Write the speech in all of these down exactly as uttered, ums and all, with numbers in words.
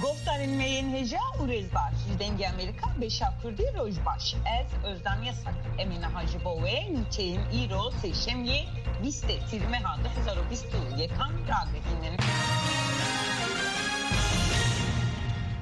Guhdarên me yên hêja û rêzbaş, ji Dengê Amerîka, beşa Kurdî, roj baş. Ez Özlem Yasak. Em ê niha ji bo we nûçeyên îro sêşemiyê bîstê Tîrmeha du hezar û bîst û yekan ragihînin.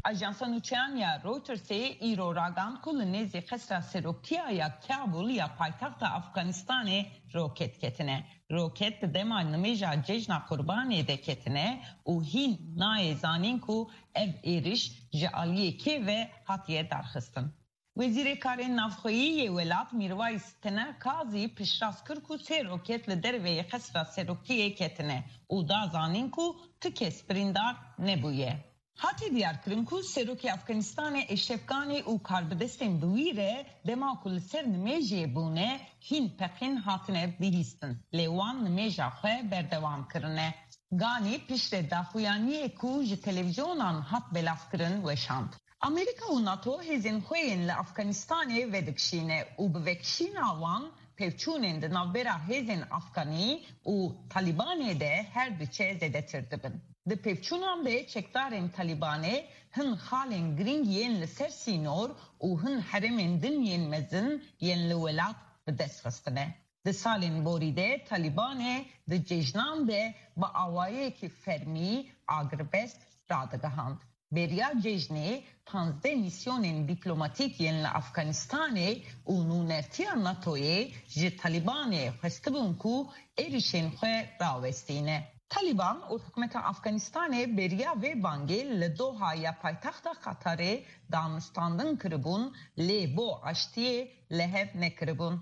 Ajansa nûçeyan ya Reutersê îro ragihand ku li nêzî Qesra Serokiya ya Kabul ya paytexta Afganistanê roket ketine. Roket di dema nimêja Cejna Qurbanê de ketine û hîn nayê zanîn ku ev êriş ji aliyê kê ve hatiye darxistin. Wezîrê Karên Navxweyî yê welat Mîrwayîs Tener Kazî piştrast kir ku sê roket li derveyê Qesra Serokiyê ketine û da zanîn ku tu kes birîndar nebûye. Hatiye diyarkirin ku Serokê Afganistanê Eşref Ganî û karbidestên bi wî re dema ku li ser nimêjê bûne, hîn peqîn hatine bihîstin, lê wan nimêja xwe berdewam kirine. Ganî piştre daxuyaniyê ku ji televîzyonan hat belavkirin weşand. Amerîka û NATO hêzên xwe yên li Afganistanê vedikişîne û bi vekişîna wan pevçûnên di navbera hêzên Afganî û Talîbanê de her diçe zêdetir dibin. Di pevçûnan de çekdarên Talîbanê hin xalên girîng yên li ser sînor û hin herêmên din yên mezin yên li welat bi dest xistine. Di salên borî de Talîbanê di cejnan de bi awayekî fermî agirbest radigihand. Beriya cejnê, panzdeh mîsyonên dîplomatîk yên li Afganistanê û nûnertiya NATOyê ji Talîbanê xwestibûn ku êrişên xwe rawestîne. Talîban û hikûmeta Afganistanê beriya vê bangê li Doha ya paytexta Qatarê danûstandin kiribûn, lê bo aştiyê li hev nekiribûn.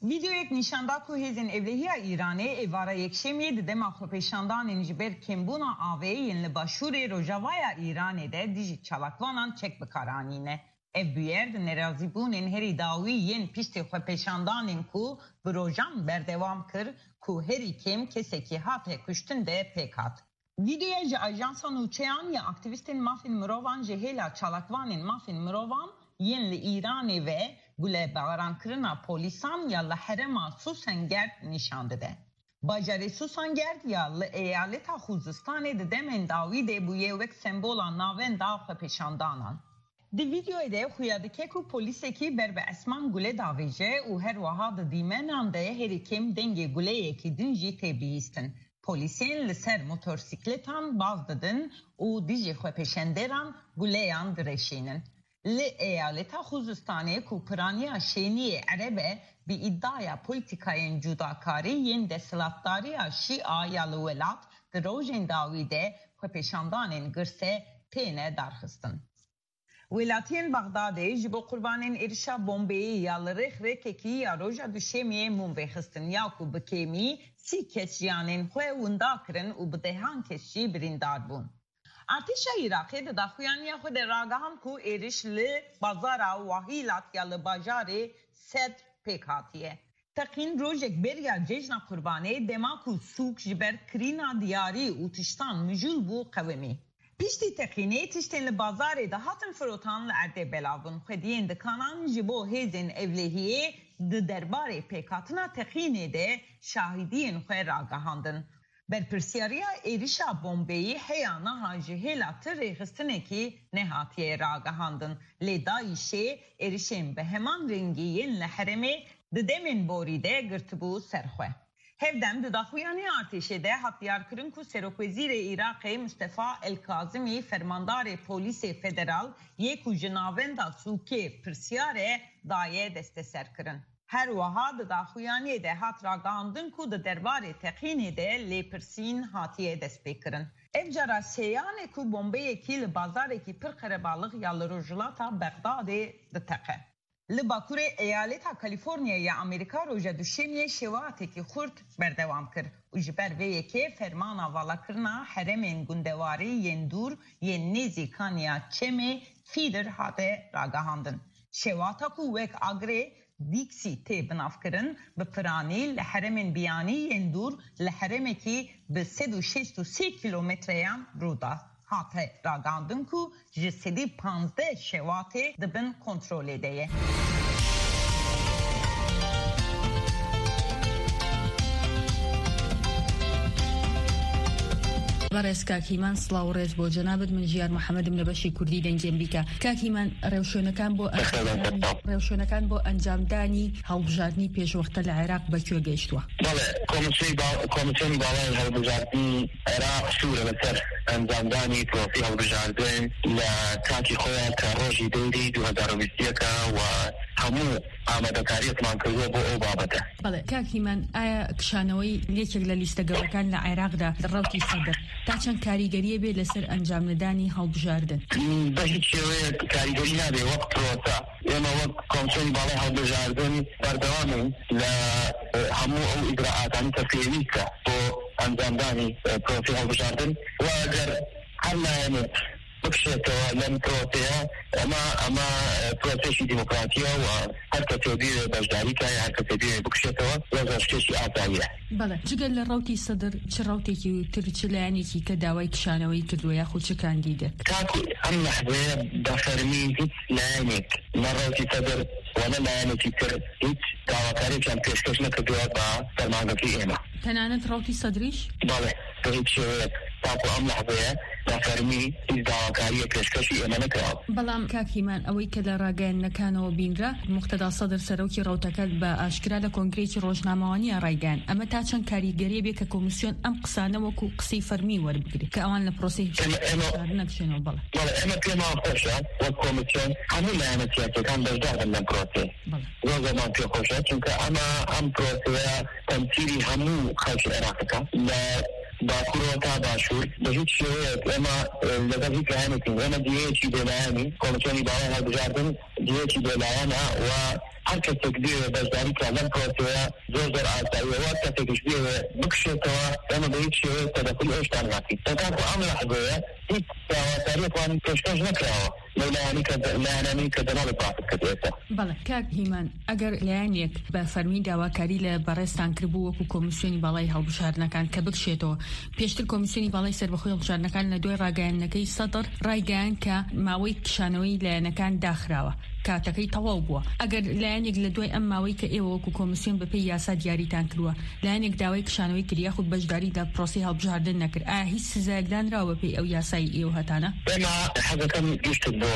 Vîdeoyek nîşan da ku hêzên ewlehiya Îranê êvara yekşemiyê di dema xwepêşandanên ji ber kêmbûna avê yên li başûrê rojavaya Îranê de dijî çalakvanan çek bi kar anîne. Ev bûyer di nerazîbûnên herî dawî yên piştî xwepêşandanên ku bi rojan berdewam kir, ku herî kêm kesekî hate kuştin de pêk hat. Vîdeoya ji ajansa nûçeyan ya aktîvîstên mafên mirovan ji hêla çalakvanên mafên mirovan yên li Îranê ve gulebaran kirina polîsan ya li herêma Susangerd nîşan dide. Bajarê Susangerd ya li eyaleta Xuzistanê di demên dawî de bûye wek sembola navenda xwepêşandanan. Di vîdeoyê de xuya dike ku polîsekî ber bi esman gule davêje û her wiha di dîmenan de herî kêm dengê guleyekî din jî tê bihîstin. Polîsên li ser motorsîkletan baz didin û dijî xwepêşanderan guleyan direşînin. Li eyaleta Xuzistanê ku piraniya şêniyê ereb e, bi îdaya polîtîkayên cudakarî yên desthilatdariya Şîa ya li welat di rojên dawî de xwepêşandanên girse têne darxistin. Welatiyên Bexdadê ji bo qurbanên êrişa bombeyê ya li rêxrêkekî ya roja Duşemiyê mûm vêxistin ya ku bi kêmî sî kes jiyanên xwe winda kirin û bi dehan kes jî birîndar bûn. Artêşa Iraqê di daxuyaniya xwe de ragihand ku êriş li bazara Wahîlat ya li bajarê Sedr pêk hatiye. Teqîn rojek beriya Cejna Qurbanê, dema ku sûk ji ber kirîna diyarî û tiştan mijûl bû, qewimî. Piştî teqînê tiştên li bazarê de hatin firotan li erdê belav bûn. Xwediyên dikanan ji bo hêzên ewlehiyê di derbarê pêkhatina teqînê de şahidiyên xwe ragihandin. Berpirsiyariya êrişa bombeyî heya niha ji hêla ti rêxistinekî nehatiye ragihandin, lê DAIŞê êrişên bi heman rengî yên li herêmê di demên borî de girtibû ser xwe. Hevdem di daxuyaniya artêşê de hat diyarkirin ku Serokwezîrê Iraqê Mustefa El Kazimî fermandarê polîsê federal yê ku ji navenda sûkê pirsiyar e, daye desteserkirin. Her wiha di daxuyaniyê de hat ragihandin ku di derbarê teqînê de lêpirsîn hatiye destpêkirin. Ev cara sêyan e ku bombeyekî li bazarekî pir qerebalix ya li rojhilata Bexdadê diteqe. Li bakurê eyaleta Kalîforniya ya Amerîka roja Duşemiyê şewatekî xurt berdewam kir û ji ber vê yekê fermana valakirina herêmên gundewarî yên dûr yên nêzî kaniya çemê Feeder hate ragihandin. Şewata ku wek agirê Dîksî tê binavkirin, bi piranî li herêmên biyanî yên dûr li herêmekî bi sed û şêst û sê kîlometreyan rû da. Hate ragihandin ku ji sedî panzdeh şewatê di bin kontrolê de ye. بەڕێز کاک هیمان، سڵاو و ڕێز بۆ جەنابت. من ژیار محەممەدم لە بەشی کوردی دەنگی ئەمریکا. کاک هیمان، ڕێوشوێنەکان بۆ ئەنجامدانی، ڕێوشوێنەکان بۆ ئەنجامدانی هەڵبژاردنی پێشوەختە لە عێراق بە کوێ گەیشتووە؟ بەڵێ، کۆمیسیۆنی با-، کۆمیسیۆنی باڵای هەڵبژاردنی عێراق سوورە لەسەر ئەنجامدانی پرۆسی هەڵبژاردن لە کاتی خۆیان کە ڕۆژی دەیری دوو هەزار و بیست و یەک و هەموو ئامادەکاریەکمان کردووە بۆ ئەو بابەتە. بەڵێ، کاک هیمان، ئایا کشانەوەی یەکێک لە لیستە گەورەکان لە عێراقدا، ڕەوتی سەدر، تا چەند کاریگەریە بێ لەسەر ئەنجام نەدانی هەڵبژاردن؟ بە هیچ شێوەیەک کاریگەری نابێ وەک پرۆسە. ئێمە وەک کۆمسیۆنی باڵای هەڵبژاردن بەردەوامین لە، ئە، هەموو ئەو ئیجراعاتانی کە پێویستە بۆ ئەنجامدانی، ئە، پرۆسی هەڵبژاردن. و ئەگەر هەر لایەنێک بکشێتەوە لەم پرۆسەیە، ئەمە، ئەمە، ئە، پرۆسێکی دیموکراتیە و هەر کەسێ بێ بەشداری کایە، هەر کەسێ بێ بکشێتەوە، زۆر زۆر شتێکی ئاساییە. بەڵێ، جگە لە ڕەوتی سەدر، چ ڕەوتێکی تر، چ لایەنێکی کە داوای کشانەوەی کردووە، یاخود چ کاندیدێک؟ تاکو ئەم لەحزەیە بە فەرمی هیچ لایەنێک، نە ڕەوتی سەدر و نە لایەنێکی تر، هیچ داواکاریێکیان پێشکەش نەکردووە بە فەرمانگەکەی ئێمە. تەنانەت ڕەوتی سەدریش؟ بەڵێ، بە هیچ شێوەیەک تاکو ئەم لەحزەیە بە فەرمی هیچ داواکاریە پێشکەشی ئێمە نەکراوە. بەڵام کاک هیمان، ئەوەی کە لە ڕاگەیاندنەکانەوە بینرا، موقتەدا سەدر، سەرۆکی ڕەوتەکە، بە ئاشکرا لە کۆنگرەیەکی ڕۆژنامەوانیە ڕایگەیاند، ئەمە تا چەند کاریگەریە بێ کە کۆمیسیۆن ئەم قسانە وەکو قسەی فەرمی وەربگرێت کە ئەوان لە پرۆسەی ئێمە، ئێمە هەڵبژاردن نەکشێنەوە. بەڵێ. بەڵێ، ئێمە پێمان خۆشە وەک کۆمیسیۆن هەموو لایەنە سیاسیەکان بەشدار بن لەم پرۆسەیە. بەڵێ. زۆر زۆرمان پێ خۆشە، چونکە ئەمە، ئەم پرۆسەیە تەمسیلی هەموو خەڵکی عێراقەکە، لە باکوورەوە تا باشوور. بە هیچ شێوەیەک ئێمە، ئە، لەگەڵ هیچ لایەنێکین. ئێمە جێیەکی بێلایەنی، کۆمیسیۆنی باڵای هەڵبژاردن جێیەکی بێلایەنە و هەر کەسێک بێ بەشداری بکات لەم پرۆسەیە زۆر زۆر ئاساییە. و هەر کەسێکیش بێ بکشێتەوە، ئێمە بە هیچ شێوەیەک تەدەخولی ئەو شتان ناکەین. تاکو ئەم لەحزەیە هیچ داواکاریەکمان پێشکەش نەکراوە لەو لایەنی کە، لایەنانی کە دەناڵی باسم کرد ئێستا. بەڵێ، کاک هیمان، ئەگەر لایەنێک بە فەرمی داواکاری لە بەڕێزتان کردبوو وەکو کۆمیسیۆنی باڵای هەڵبژاردنەکان کە بکشێتەوە، پێشتر کۆمیسیۆنی باڵای سەربەخۆی هەڵبژاردنەکان لە دوای ڕاگەیاندنەکەی سەدر ڕایگەیاند کە ماوەی کشانەوەی لایەنەکان داخراوە، کاتەکەی تەواو بووە. ئەگەر لایەنێک لە دوای ئەم ماوەی کە ئێوە وەکو کۆمیسیۆن بەپێی یاسا دیاریتان کردووە، لایەنێک داوای کشانەوەی کرد یاخود بەشداری لە پرۆسەی هەڵبژاردن نەکرد، ئایا هیچ سزایەک دانراوە بەپێی ئەو یاسای ئێوە هەتانە؟ ئێمە حەزەکەم گشتت بۆ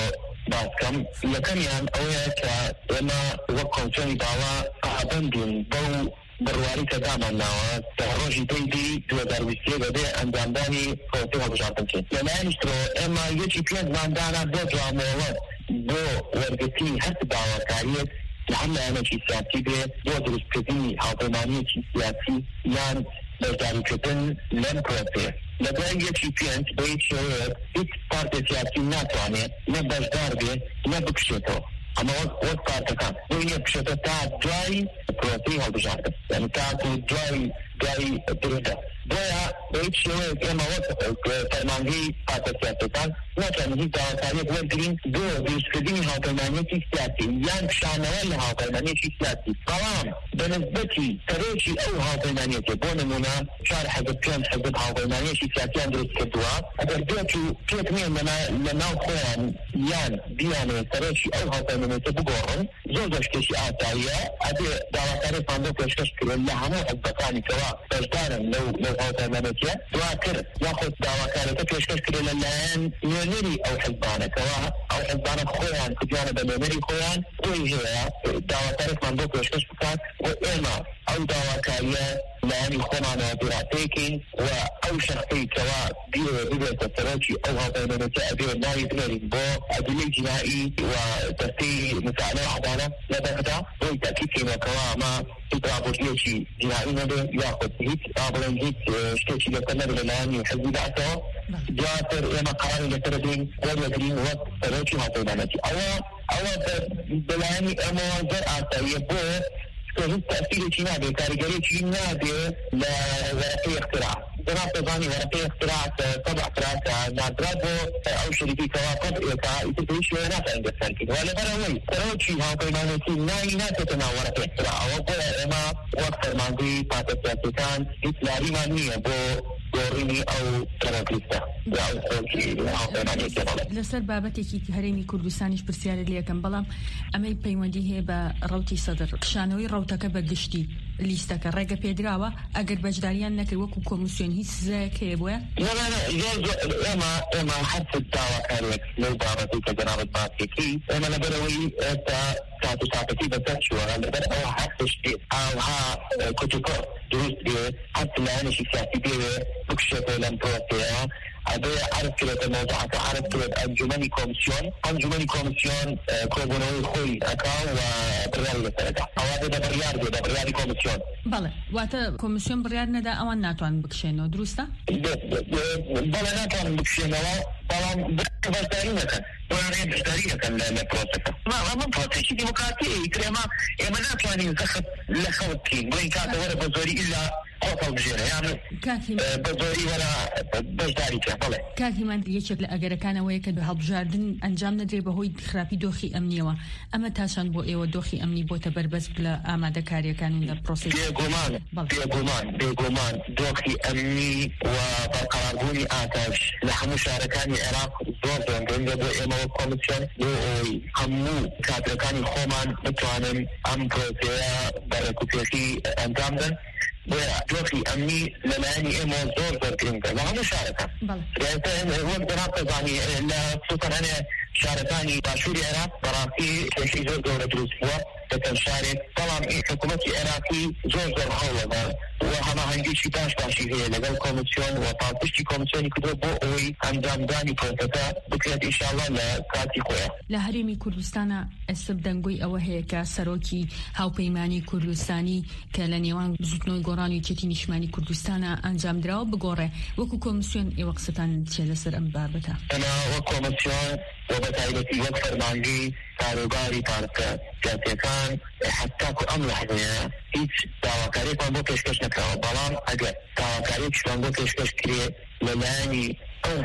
باس بکەم. یەکەمیان ئەوەیە کە ئێمە وەک کۆمیسیۆنی باڵا پابەندین بەو بڕواری کە دامان ناوە کە ڕۆژی دەی دی دوو هەزار و بیست و یەک دەبێ ئەنجامدانی پرۆسەی هەڵبژاردن بکەین. لەلایەنیش ترەوە ئێمە یەکی پێنجمان دانا بۆ دوامۆڵەت بۆ وەرگرتنی هەر داواکاریەک لە هەر لایەنێکی سیاسی بێ بۆ دروستکردنی هاوپەیمانیەکی سیاسی یان بەشداریکردن لەم پرۆسەیە. لە دوای یەکی پێنج بە هیچ شێوەیەک هیچ پارتێ سیاسی ناتوانێت نە بەشدار بێ نە بکشێتەوە. ئەمە وەک، وەک پارتەکان بۆی نیە بکشێتە تا دوای پرۆسەی هەڵبژاردن، یعنی تاکو دوای، دوای دروستە. بۆیە بە هیچ شێوەیەک ئێمە وەک، ئە، فەرمانگەی پارتە سیاسەکان ناتوانین هیچ داواکاریەک وەرگرین بۆ دروستکردنی هاوپەیمانیەتی سیاسی یان کشانەوە لە هاوپەیمانیەتی سیاسی. بەڵام بە نسبەتی سەرۆکی ئەو هاوپەیمانیەتە، بۆ نمونە چوار حەزب، پێنج حەزب هاوپەیمانیەتی سیاسیان دروست کردووە، ئەگەر بێت و پێک نێن لە نا-، لە ناو خۆیان یان بیانێ سەرۆکی ئەو هاوپەیمانیەتە بگۆڕن، زۆر زۆر شتێکی ئاساییە. ئەبێ داواکاریەکمان بۆ پێشکەش کرێن لە هەموو حزبەکانی کەوا بەشدارن لەو، لەو هاوپەیمانێتیە. دواتر یاخود داواکارەکە پێشکەش کرێ لەلایەن نوێنەری ئەو حزبانەکەوە، ئەو حزبانە خۆیان کردوانە بە نوێنەری خۆیان، بۆی هەیە داواکارێکمان بۆ پێشکەش بکات و ئێمە ئەو داواکاریە لایەنی خۆمانەوە دیراسەیەکەین و ئەو شەخصی کەوا بیەوێ ببێتە سەرۆکی ئەو هاوپەیمانێتە ئەبێ ناوی بنێرین بۆ ئەدلەی جینایی و دەستەی مساعدە و عەدالە لە بەغدا، بۆی تاکید کەینەوە کەوا ئەمە هیچ راپۆرتیەکی جینایی نەبێ یاخود هیچ، با بڵێن، هیچ، ئە، شتێکی لەسەر نەبێ لە لایەنی حزبی بەعسەوە. دواتر ئێمە قەراری لەسەر دەین وەردەگرین وەک سەرۆکی هاوپەیمانێتی. ئەوە، ئەوە بە، بە لایەنی ئێمەوە زۆر ئاساییە بۆ کە هیچ تەسیرێکی نابێ، کاریگەریەکی نابێ لە وەرەقەی اختراع. جەناب تەزانی وەرەقەی اختراع کە طبع کرا کە ناردرا بۆ ئەو شەریکی کەوا طبع ئێکا ئیتر بە هیچ شێوە ناتوانین دەستکاری بکەین. و لەبەر ئەوەی سەرۆکی هاوپەیمانێتی ناوی ناچێتە ناو وەرەقەی اختراعەوە، بۆیە ئێمە وەک فەرمانگەی پارتە سیاسیەکان هیچ لاریمان نییە بۆ گۆڕینی ئەو تەرۆریستە. لە ئەو خۆکی هاوپەیمانیەتی بەڵێ. لەسەر بابەتێکی هەرێمی کوردستانیش پرسیارە لێەکەم، بەڵام ئەمەی پەیوەندی هەیە بە ڕەوتی سەدر، کشانەوەی ڕەوتەکە بە گشتی، لیستەکە ڕێگە پێدراوە، ئەگەر بەشداریان نەکرد وەکو کۆمیسیۆن هیچ سزایەک هەیە بۆیان؟ نە، نە، نە، زۆر، زۆر، ئێمە، ئێمە هەر داواکاریەک لەو بابەتی کە جەنابەت باس دەکەی، ئێمە لەبەرەوەی ئێستا کات و تاقەتی بەسەر چووە، لەبەر ئەوە هەر تشتێ ئاوها، ئە، کوتوپڕ دروست بێ، هەر لایەنێکی سیاسی بێ بکشێتەوە لەم پرۆسەیە، ئەبێ عەرز کرێتە مەوزوعەکە، عەرز کرێت ئەنجومەنی کۆمیسیۆن، ئەنجومەنی کۆمیسیۆن، ئە، کۆبوونەوەی خۆی ئەکا و بڕیاری لەسەرەکە. ئەوە بێ بە بڕیار بێ، بە بڕیاری کۆمیسیۆن. بەڵێ، واتە کۆمیسیۆن بڕیار نەدا، ئەوان ناتوانن بکشێنەوە، دروستە؟ بێ-، بێ-، بێ-، بەڵێ، ناتوانن بکشێنەوە، بەڵام بەشداری نەکەن. بۆیان هەیە بەشداری نەکەن لە، لە پرۆسەکە. ما، ما، ما پرۆسەیەکی دیموکراتی، ئیتر ئێمە، ئێمە ناتوانین زەخت لە خەڵک بکەین. بۆ ئین کاتە وەرە بە زۆری ئیلا خۆت هەڵبژێرە، یان، کاک هیمەن. ئە، بە زۆری وەرە بەشداری بکە، بەڵێ. کاک هیمەن، یەکێک لە ئەگەرەکانەوەیە کە هەڵبژاردن ئەنجام نەدرێ بەهۆی خراپی دۆخی ئەمنیەوە. ئەمە تا چەند بۆ ئێوە دۆخی ئەمنی بۆتە بەربەست لە ئامادەکاریەکان و لە پرۆسەی؟ بێگومان، بەڵێ. بێگومان، بێگومان دۆخی ئەمنی و بەرقەراربوونی ئاسایش لە هەموو شارەکانی عێراق زۆر زۆر گرنگە بۆ ئێمە وەک کۆمیسیۆن، بۆ ئەوەی هەموو کادرەکانی خۆمان بتوانن ئەم پرۆسەیە بە ڕێکوپێکی ئەنجام بدەن. بۆیە دۆخی ئەمنی لەلایەنی ئێمە زۆر زۆر گرنگە لە هەموو شارەکان. بەڵێ. وەک جەناب دەزانی، لە خصوصاً هەنێ شارەکانی باشووری عێراق بەڕاستی کێشەی زۆر گەورە دروست بووە لە چەند شارێک، بەڵام ئێ حکوومەتی عێراقی زۆر زۆر هەوڵەدا و هەماهەنگیشی باش باشی هەیە لەگەڵ کۆمیسیۆن و پاڵپشتی کۆمیسیۆنی کردووە بۆ ئەوەی ئەنجامدانی پرۆسەکە بکرێت ئینشاءاللە لە کاتی خۆیان. لە هەرێمی کوردستانە ئەسب دەنگۆی ئەوە هەیە کە سەرۆکی هاوپەیمانی کوردستانی کە لە نێوان زوتنەوەی گۆڕان و یەکێتی نیشتمانی کوردستانە ئەنجام دراوە بگۆڕێ. وەکو کۆمیسیۆن ئێوە قسەتان چیە لەسەر ئەم بابەتە؟ ئەمە وەک کۆمیسیۆن و بە تایبەتی وەک فەرمانگەی کاروباری پارتە سیاسیەکان، حتاکو ئەم لەحظەیە هیچ داواکاریەکمان بۆ پێشکەش نەکراوە، بەڵام ئەگەر داواکاریەکیشمان بۆ پێشکەش کرێ لەلایەنی ئەو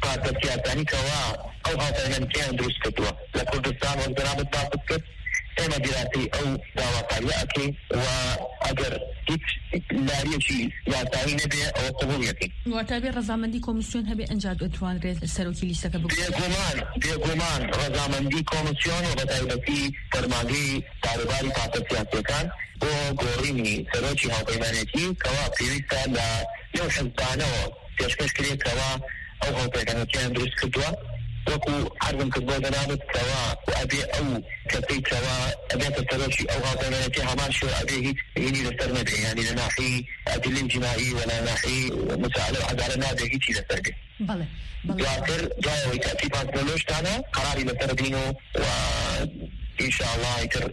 پارتە سیاسانی کەوا ئەو هاوپەیمانیەتیان دروست کردووە لە کوردستان، وەک جەنابەت باست کرد، ئێمە دیراسەی ئەو داواکاریە ئەکەین و ئەگەر هیچ لاریەکی یاسایی نەبێ، ئەوە قبوڵ یەکەین. واتە بێ ڕەزامەندی کۆمیسیۆن هەبێ، ئەنجا دەتوانرێت سەرۆکی لیستەکە بگۆڕێت؟ بێگومان، بێگومان ڕەزامەندی کۆمیسیۆن و بە تایبەتی فەرمانگەی کاروباری پارتە سیاسیەکان بۆ گۆڕینی سەرۆکی هاوپەیمانێتی کەوا پێویستە لە نێو حزبانەوە پێشکەش کرێت کەوا ئەو هاوپەیمانێتیان دروست کردووە. وەکو عەرزم کرد بۆ جەنابەت کەوا ئەبێ ئەو کەسەی کەوا ئەبێتە سەرۆکی ئەو هاوپەیمانێتی هەمان شێوە ئەبێ هیچ هینی لەسەر نەبێ، یعنی لە ناحی ئەدلەی جنایی و لە ناحی مسائلە و عەدالە نابێ هیچی لەسەر بێ. بەڵێ، بەڵێ. دواتر دوایەوەی تاکیدمان کرد لەو شتانە قەراری لەسەر دین و، و ئینشاءالله ئیتر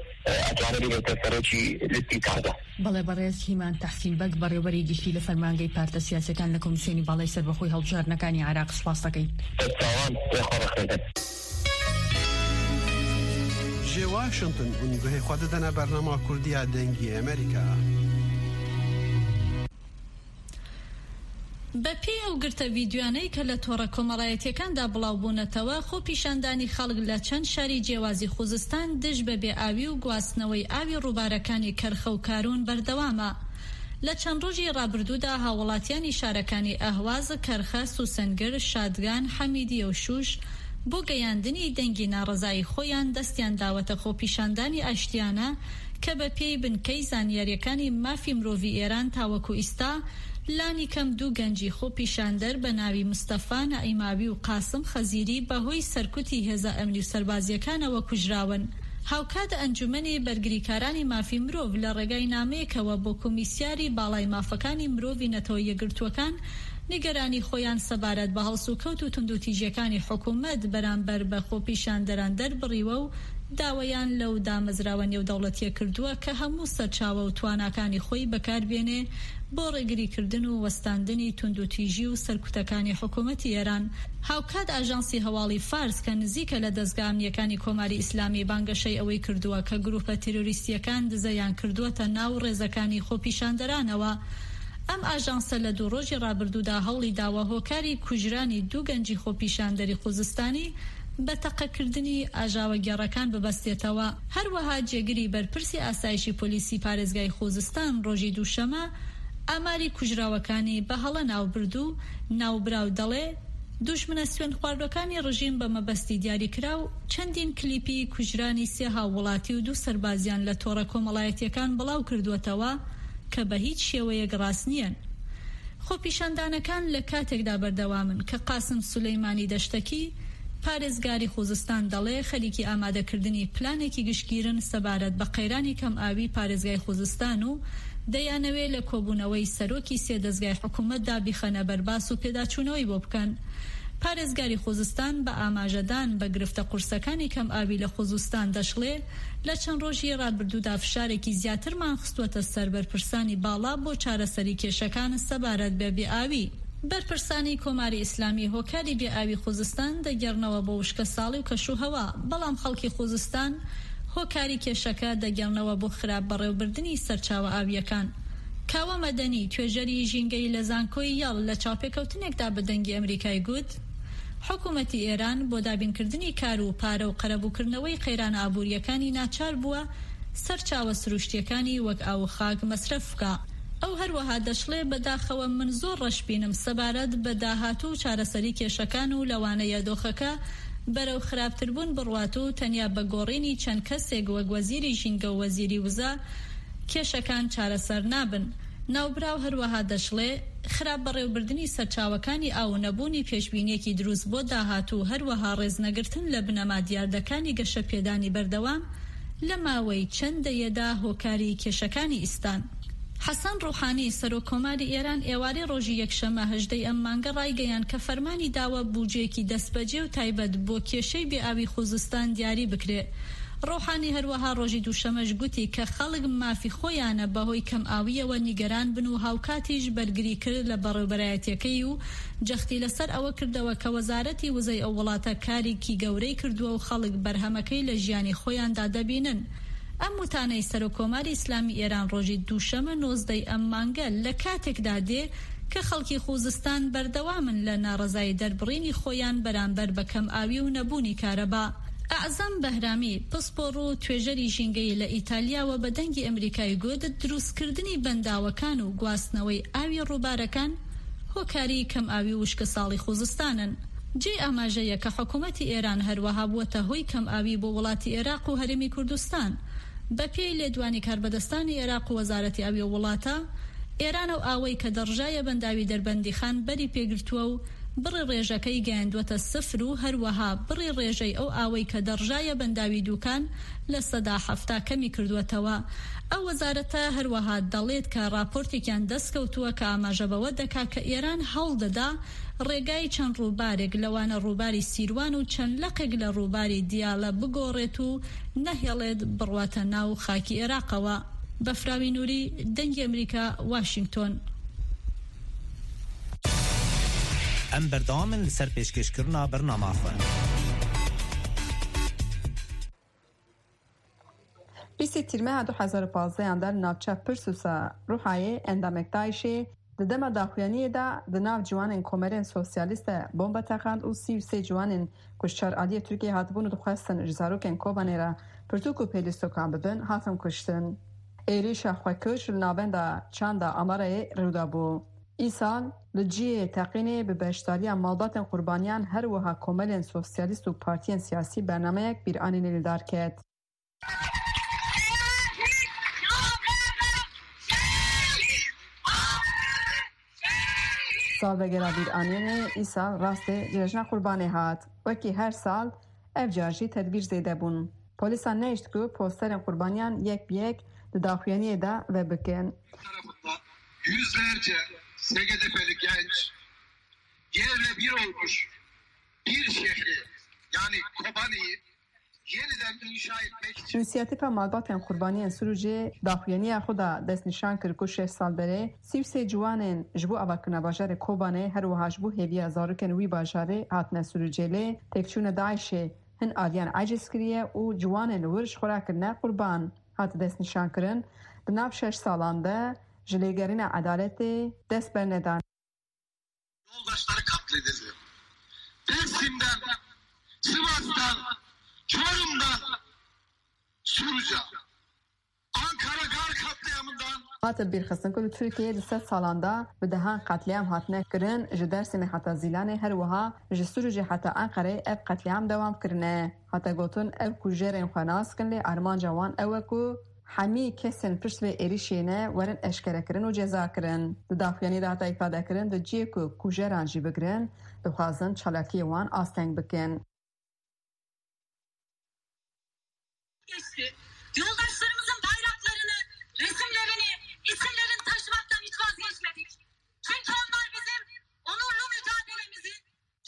ئەتوانێت ببێتە سەرۆکی لیستی تازە. بەڵێ، بەڕێز هیمان تەحسین بەگ، بەڕێوەبەری گشتی لە فەرمانگەی پارتە سیاسیەکان لە کۆمیسیۆنی باڵای سەربەخۆی هەڵبژاردنەکانی عێراق، سپاس دەکەین. دەستاوان، بێخۆ ڕەخێدن. Ji Washington hûn guhê xwe didine bernama Kurdiya Dengê Amerîka. بە پێی ئەو گرتە ڤیدیۆیانەی کە لە تۆڕە کۆمەڵایەتیەکاندا بڵاو بوونەتەوە، خۆ پیشاندانی خەڵک لە چەند شاری جیاوازی خوزستان دژ بە بێ ئاوی و گواستنەوەی ئاوی ڕووبارەکانی کەرخە و کارون بەردەوامە. لە چەند ڕۆژی ڕابردوودا هاوڵاتیانی شارەکانی ئەهواز، کەرخە، سوسەنگر، شادگان، حەمیدیە و شوش بۆ گەیاندنی دەنگی ناڕەزایی خۆیان دەستیان داوەتە خۆپیشاندانی ئاشتیانە کە بە پێی بنکەی زانیاریەکانی مافی مرۆڤی ئێران تاوەکو ئیستا لانی کەم دوو گەنجی خۆپیشاندەر بە ناوی مستەفا نەئیماوی و قاسم خەزیری بەهۆی سەرکوتی هێزە ئەمنی و سەربازیەکانەوە کوژراون. هاوکات ئەنجومەنی بەرگریکارانی مافی مرۆڤ لە ڕێگای نامەیەکەوە بۆ کۆمیسیاری باڵای مافەکانی مرۆڤی نەتەوە یەکگرتووەکان نیگەرانی خۆیان سەبارەت بە هەڵسوکەوت و توندوتیژیەکانی حکوومەت بەرامبەر بە خۆپیشاندەران دەربڕیوە و داوایان لەو دامەزراوە نێودەوڵەتیە کردووە کە هەموو سەرچاوە و تواناکانی خۆی بەکاربێنێ بۆ ڕێگریکردن و وەستاندنی توندوتیژی و سەرکوتەکانی حکوومەتی ئێران. هاوکات ئاژانسی هەواڵی فارس کە نزیکە لە دەستگا ئەمنیەکانی کۆماری ئیسلامی بانگەشەی ئەوەی کردووە کە گروپە تیرۆریستیەکان دزەیان کردووەتە ناو ڕێزەکانی خۆپیشاندەرانەوە. ئەم ئاژانسە لە دوو ڕۆژی ڕابردوودا هەوڵی داوە هۆکاری کوژرانی دوو گەنجی خۆپیشاندەری خوزستانی بە تەقەکردنی ئاژاوەگێڕەکان ببەستێتەوە. هەروەها جێگری بەرپرسی ئاسایشی پۆلیسی پارێزگای خوزستان ڕۆژی دووشەمە ئاماری کوژراوەکانی بە هەڵە ناوبرد و ناوبراو دەڵێ، دوژمنە سوێندخواردوەکانی ڕژیم بە مەبەستی دیاریکراو چەندین کلیپی کوژرانی سێ هاووڵاتی و دوو سەربازیان لە تۆڕە کۆمەڵایەتیەکان بڵاو کردووەتەوە کە بە هیچ شێوەیەک ڕاست نییەن. خۆپیشاندانەکان لە کاتێکدا بەردەوامن کە قاسم سولەیمانی دەشتەکی، پارێزگاری خوزستان، دەڵێ خەریکی ئامادەکردنی پلانێکی گشتگیرن سەبارەت بە قەیرانی کەم ئاوی پارێزگای خوزستان و دەیانەوێ لە کۆبوونەوەی سەرۆکی سێ دەستگای حکوومەتدا بیخەنە بەرباس و پێداچوونەوەی بۆ بکەن. پارێزگاری خوزستان بە ئاماژەدان بە گرفتە قورسەکانی کەم ئاوی لە خوزستان دەشڵێ، لە چەند ڕۆژی ڕابردوودا فشارێکی زیاترمان خستووەتە سەر بەرپرسانی باڵا بۆ چارەسەری کێشەکان سەبارەت بە بێ ئاوی. بەرپرسانی کۆماری ئیسلامی هۆکاری بێ ئاوی خوزستان دەگەڕنەوە بۆ وشکە ساڵی و کەش و هەوا، بەڵام خەڵکی خوزستان هۆکاری کێشەکە دەگەڕنەوە بۆ خراپ بەڕێوبردنی سەرچاوە ئاویەکان. کاوە مەدەنی، توێژەری ژینگەی لە زانکۆی یاڵ، لە چاوپێکەوتنێکدا بە دەنگی ئەمریکای گوت، حکوومەتی ئێران بۆ دابینکردنی کار و پارە و قەرەبووکردنەوەی قەیرانە ئابووریەکانی ناچار بووە سەرچاوە سروشتیەکانی وەک ئاو و خاک مەسرەف بکا. ئەو هەروەها دەشڵێ، بەداخەوە من زۆر ڕەش بینم سەبارەت بە داهاتوو و چارەسەری کێشەکان و لەوانەیە دۆخەکە بەرەو خراپتربوون بڕوات و تەنیا بە گۆڕینی چەند کەسێک وەک وەزیری ژینگە و وەزیری وزە کێشەکان چارەسەر نابن. ناوبراو هەروەها دەشڵێ، خراپ بەڕێوبردنی سەرچاوەکانی ئاو و نەبوونی پێشبینیەکی دروست بۆ داهاتوو، هەروەها ڕێزنەگرتن لە بنەما دیاردەکانی گەشەپێدانی بەردەوام لە ماوەی چەند دەیەدا هۆکاری کێشەکانی ئیستان. حەسەن ڕوحانی، سەرۆکۆماری ئێران، ئێوارەی ڕۆژی یەکشەممە هەژدەی ئەم مانگە ڕایگەیاند کە فەرمانی داوە بودجەیەکی دەستبەجێ و تایبەت بۆ کێشەی بێئاوی خوزستان دیاری بکرێ. ڕوحانی هەروەها ڕۆژی دووشەمەش گوتی کە خەڵک مافی خۆیانە بەهۆی کەم ئاویەوە نیگەران بن و هاوکاتیش بەرگری کرد لە بەڕێوبەرایەتیەکەی و جەختی لەسەر ئەوە کردەوە کە وەزارەتی وزەی ئەو وڵاتە کارێکی گەورەی کردووە و خەڵک بەرهەمەکەی لە ژیانی خۆیاندا دەبینن. ئەم وتانەی سەرۆکۆماری ئیسلامی ئێران ڕۆژی دووشەمە نۆزدەی ئەم مانگە لە کاتێکدا دێ کە خەڵکی خوزستان بەردەوامن لە ناڕەزایی دەربڕینی خۆیان بەرامبەر بە کەم ئاوی و نەبوونی کارەبا. ئەعزەم بەهرامی، پسپۆڕ و توێژەری ژینگەیی لە ئیتالیاوە بە دەنگی ئەمریکای گوت، دروستکردنی بەنداوەکان و گواستنەوەی ئاوی ڕووبارەکان هۆکاری کەم ئاوی و وشکە ساڵی خوزستانن. جێی ئاماژەیە کە حکوومەتی ئێران هەروەها بووەتە هۆی کەم ئاوی بۆ وڵاتی عێراق و هەرێمی کوردستان. بە پێی لێدوانی کاربەدەستانی عێراق و وەزارەتی ئاوی و وڵاتە، ئێران ئەو ئاوەی کە دەڕژایە بەنداوی دەربەندیخان بەری پێگرتووە و بڕی ڕێژەکەی گەیاندووەتە سفر و هەروەها بڕی ڕێژەی ئەو ئاوەی کە دەڕژایە بەنداوی دووکان لە سەدا حەفتا کەمی کردووەتەوە. ئەو وەزارەتە هەروەها دەڵێت کە راپۆرتێکیان دەستکەوتووە کە ئاماژە بەوە دەکا کە ئێران هەوڵ دەدا ڕێگای چەند ڕووبارێک، لەوانە ڕووباری سیروان و چەند لقێک لە ڕووباری دیالە بگۆڕێت و نەهێڵێت بڕواتە ناو خاکی عێراقەوە. بەفراوی نوری، دەنگی ئەمریکا، واشنگتۆن. Em berdewam in li ser pêşkêşkirina bernama xwe. Bîstê Tîrmeha du hezar û pazdehan de li navça Pirsusa Ruhayê endamek DAIŞê di dema daxuyaniyê de di nav ciwanên komelên sosyalîst de bombe teqand û sî û sê ciwanên ku ji çar aliyê Tirkiyeyê hatibûn û dixwestin ji zarokên Kobanê re pirtûk û pêlîstokan bibin, hatin kuştin. Êrîşa xwekûş li navenda çanda Amarayê rû dabû. Îsal li cihê teqînê bi beşdariya malbatên qurbaniyan her wiha komelên sosyalîst û partiyên siyasî bernameyek bîranînê li dar ket. Salvegera bîranînê îsal rastê Cejna Qurbanê hat. Wekî her sal, ev car jî tedbîr zêde bûn. Polîsan nehişt ku posterên qurbaniyan yek bi yek di daxuyaniyê de vebikin. Tarafından yüzlerce S G D P'li genç yerle bir olmuş bir şehri, yani Kobane'yi yeniden inşa etmek için. Însiyatîfa Malbatên Qurbaniyên Sirûcê daxuyaniya xwe de destnîşan kir ku şeş sal berê sî û sê ciwanên ji bo avakirina bajarê Kobanê, her wiha ji bo hêviya zarokên wî bajarê hatine Sirûcê lê têkçûna DAIŞê hin aliyan eciz kiriye û ciwanên wir ji xwe re kirine qurban. Hat destnîşankirin, di nav şeş salan de ji lêgerîna edaletê dest bernedan. Yoldaşları katledildi. Dersim'den, Sivas'tan, Çorum'dan, Suruca, Ankara Gar katliamından Hate bîrxistin ku li Tirkiyeyê di sed salan de bi dehan qetlîam hatine kirin, ji Dêrsimê heta Zîlanê, her wiha ji Sirûcê heta Enqereyê ev qetlîam dewam kirine. Hate gotin, ev kujerên xwe nas dikin, lê armanca wan ew e ku hemî kesên pişt vê êrîşê ne werin eşkerekirin û cezakirin. Di daxuyaniyê de hate îfadekirin, di cihê ku kujeran jî bigirin, dixwazin çalakiyê wan asteng bikin. Geçti. Yoldaşlarımızın bayraklarını, resimlerini, isimlerini taşımaktan hiç vazgeçmedik. Çünkü onlar bizim onurlu mücadelemizi,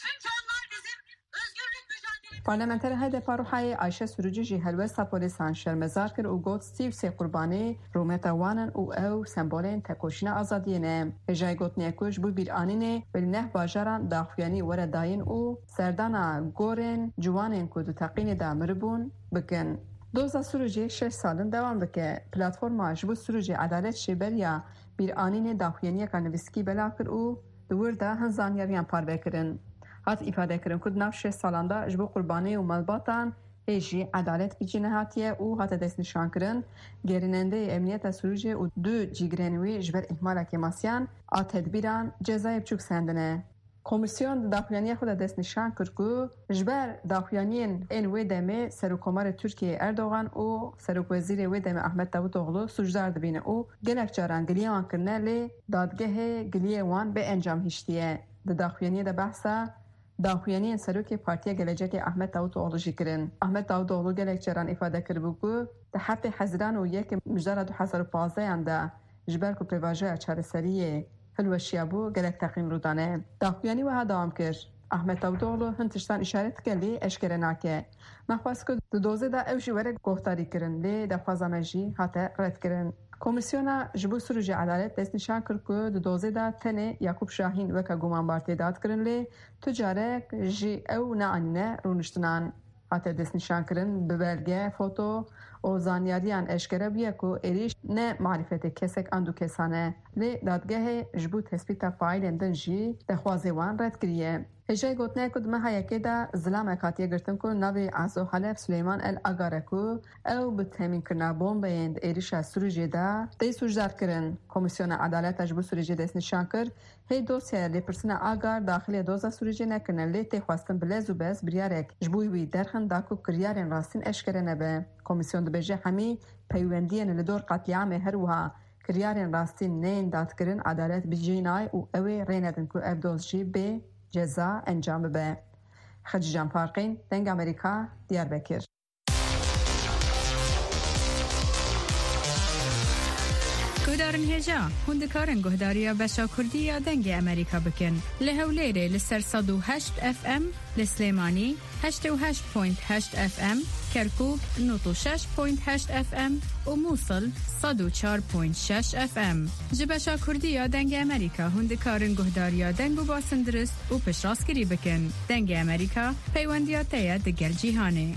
çünkü onlar bizim özgürlük mücadelemizi. Parlamenter H D P a Ruhayê Ayşe Sürücü jî helwesta polîsan şermezar kir û got, sî û sê qurbanî rûmeta wan in û ew sembolên tekoşîna azadiyê ne. Hêjayî gotinê ku ji bo bîranînê bi neh bajaran daxuyanî were dayîn û serdana gorên ciwanên ku di teqînê de miribûn bikin. Doza Sirûcê şeş sal in dewam dike. Platforma ji bo Sirûcê Edalet jî beriya bîranînê daxuyaniyeka nivîskî belav kir û di wir de hin zanyariyan parve kirin. Hat îfadekirin ku di nav şeş salan de ji bo qurbanê û malbatan hê jî edalet bi cî nehatiye û hate destnîşankirin, gerînendeyê emniyeta Sirûcê û du cîgirên wî ji ber îhmala kêmasiyan a tedbîran cezayê biçûk sendine. Komîsyon di daxuyaniya xwe de destnîşan kir ku ji ber daxuyaniyên ên wê demê Serokkomarê Tirkiyeyê Erdogan û Serokwezîrê wê demê Ahmet Davutoglu sûcdar dibîne û gelek caran giliyê wan kirine, lê dadgehê giliyê wan bê encam hiştiye. Di daxuyaniyê de behsa daxuyaniyên Serokê Partiya Gelecekê Ahmet Davutoglu jî kirin. Ahmet Davutoglu gelek caran îfade kiribû ku di heftê Hezîran û yekê Mijdara du hezar û pazdehan de ji ber ku pêvajoya çareseriyê hilweşiyabû, gelek teqîn rû dane. Daxuyanî wiha dewam kir, Ahmet Davutoglu hin tiştan îşaret dike lê eşkere nake. Me xwest ku di dozê de ew jî were guhdarîkirin, lê daxwaza me jî hate redkirin. Komîsyona ji bo Sirûcê Edalet destnîşan kir ku di dozê de tenê Yakûp Şahîn weke gumanbar tê dadkirin, lê tu carek jî ew neanîne rûniştinan. Hate destnîşankirin bi belge, foto û zanyariyan eşkere bûye ku êrîş ne marîfetê kesek an du kesan e. Lê dadgehê ji bo tespîta faîlên din jî daxwazê wan red kiriye. Hêjayî gotinê ku di meha yekê de zilamek hatiye girtin ku navê Azo Halef Suleyman El Agar e ku ew bi temînkirina bombeyên di êrîşa Sirûcê de tê sûcdarkirin. Komîsyona Edaleta ji bo Sirûcê destnîşan kir, hê dosyaya lêpirsîna Agar daxilê doza Sirûcê nekirine, lê tê xwestin bi lez û bez biryarek ji bo wî derxin da ku kiryarên rastîn eşkere nebe. Komîsyon dibêje hemî peywendiyên li dor qetlîamê her wiha kiryarên rastîn neyên dadkirin edalet bi cî nayê û ew ê rê nedin ku ev doz jî bê ceza encam bibe. Xecîcan Farqîn, Dengê Amerîka, Diyarbekir. Guhdarên hêja, hûn dikarin guhdariya beşa Kurdî ya Dengê Amerîka bikin. Li Hewlêrê li ser sed û heşt F M, li Silêmanî heştê û heşt point heşt F M, Kerkûk nod û şeş point heşt F M û Mûsil sed û çar point şeş F M. Ji beşa Kurdî ya Dengê Amerîka hûn dikarin guhdariya deng û basên dirust û piştrastkirî bikin. Dengê Amerîka, peywendiya te ye digel cîhanê.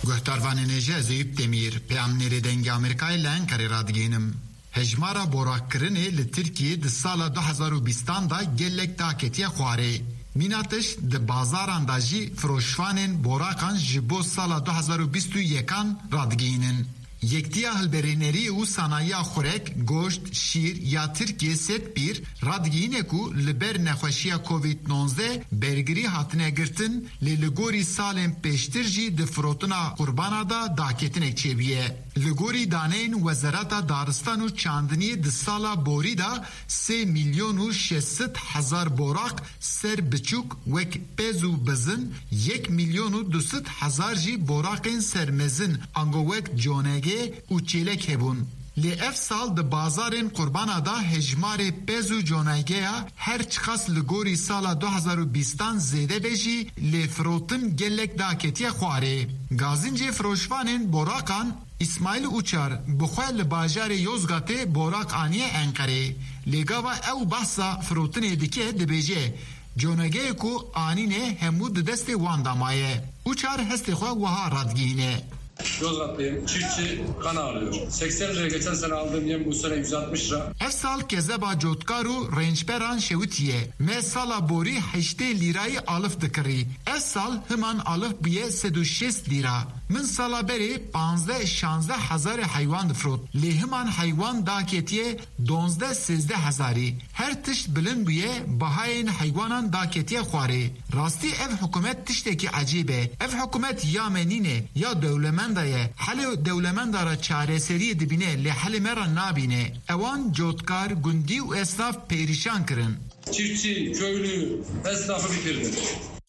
Guhdarvanên hêja, ez Eyûp Demîr, peyamnêrê Dengê Amerîkayê li Enqerê radigihînim. Hejmara boraxkirinê li Tirkiyê di sala du hezar û bîstan de gelek daketiye xwarê. Mîna tişt di bazaran de jî firoşvanên boraxan ji bo sala du hezar û bîst û yekan radigihînin. Yektiya Hilberêneriyê û Sanayiya Xurek, Goşt, Şîr ya Tirkiyê, SEDPÎR, radigihîne ku li ber nexweşiya Covid nozdeh bergirî hatine girtin, lê li gorî salên pêştir jî di firotina qurbana de daketinek çêbûye. Li gorî daneyên Wezareta Daristan û Çandiniyê di sala borî de sê milyon û şeş sed hezar borax ser biçûk wek pez û bizin, yek milyon û du sed hezar jî boraxên ser mezin ango wek conege û çêlek hebûn. Lê ev sal di bazarên qurbana de hejmarê pez û conegeya her çiqas li gorî sala du hezar û bîstan zêde be jî, lê firotin gelek daketiye xwarê. Gazincê firoşvanên boraxan Îsmaîl Uçar bi xwe li bajarê Yozgatê boraq aniye Enqerê. Lê gava ew behsa firotinê dike, dibêje, conegeyê ku anîne hemû di destê wan de maye. Uçar hestê xwe wiha radigihîne. Yozgatlıyım. Çiftçi kan ağlıyor. Seksen liraya geçen sene aldığım yem bu sene yüz altmış lira. Ev sal kezeba cotkar û rênçberan şewitiye. Me sala borî heştê lîrayî alif dikirî. Ev sal himan alif bûye sed û şêst lîra. Min sala berê panzdeh şanzdeh hezarê heywan difrot. Lê himan heywan daketiye donzdeh sêzdeh hezarî. Her tişt bilind bûye, bahayên heywanan daketiye xwarê. Rastî ev hikûmet tiştekî ecêb e. Ev hikûmet ya me nîne, ya dewlemenda ye. Helê dewlemenda re çareseriyê dibîne, lê helê me re nabîne. Ewan cotkar, gundî û esnaf perîşan kirin. Çiftçi, köylü, esnafı bitirdi.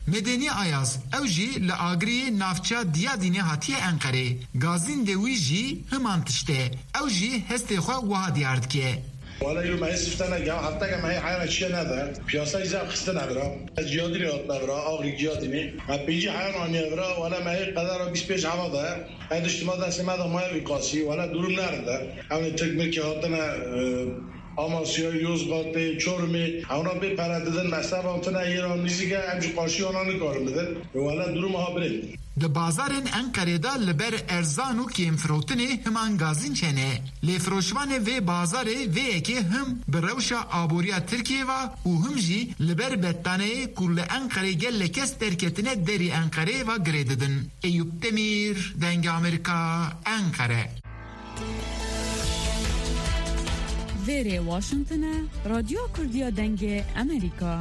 Medenî Ayaz, ew jî li Agiriyê navça Diyadînê hatiye Enqerê. Gazîn de wî jî himan tişt e. Ew jî hestê xwe wiha diyar dike. Wala yo me hê sifte neke, hefteke me hê heyana çiye nede. Piyasayî zaf xistine vira. Ez Ciyadînê hatine vira, Agirî Ciyadînê. Me pêncî heyan aniye vira, wala me hê qedera bîst pênc heva de. Her tişt ma destê me de maye vî qasî, wele durum nerinde. Ewnê Tirk mirkê hatine, e, Amasyayê, Yozgatê, Çorumê, ewna bê pere didin, me sebantine yê ra nîzîk e, em jî qarşî wana nikarin bidin. Wele durum ha birê. Di bazarên Enqerê de li ber erzan û kêmfirotinê himan gazîn çene. Lê firoşvanê vê bazarê vê yekê him bi rewşa aboriya Tirkiyê ve û him jî li ber bettaneyê ku li Enqerê gelek kes derketine derî Enqerê ve girê didin. Eyûp Demîr, Dengê Amerîka, Enqere. Vêrê Washington e, Radyo Kurdiya Dengê Amerîka.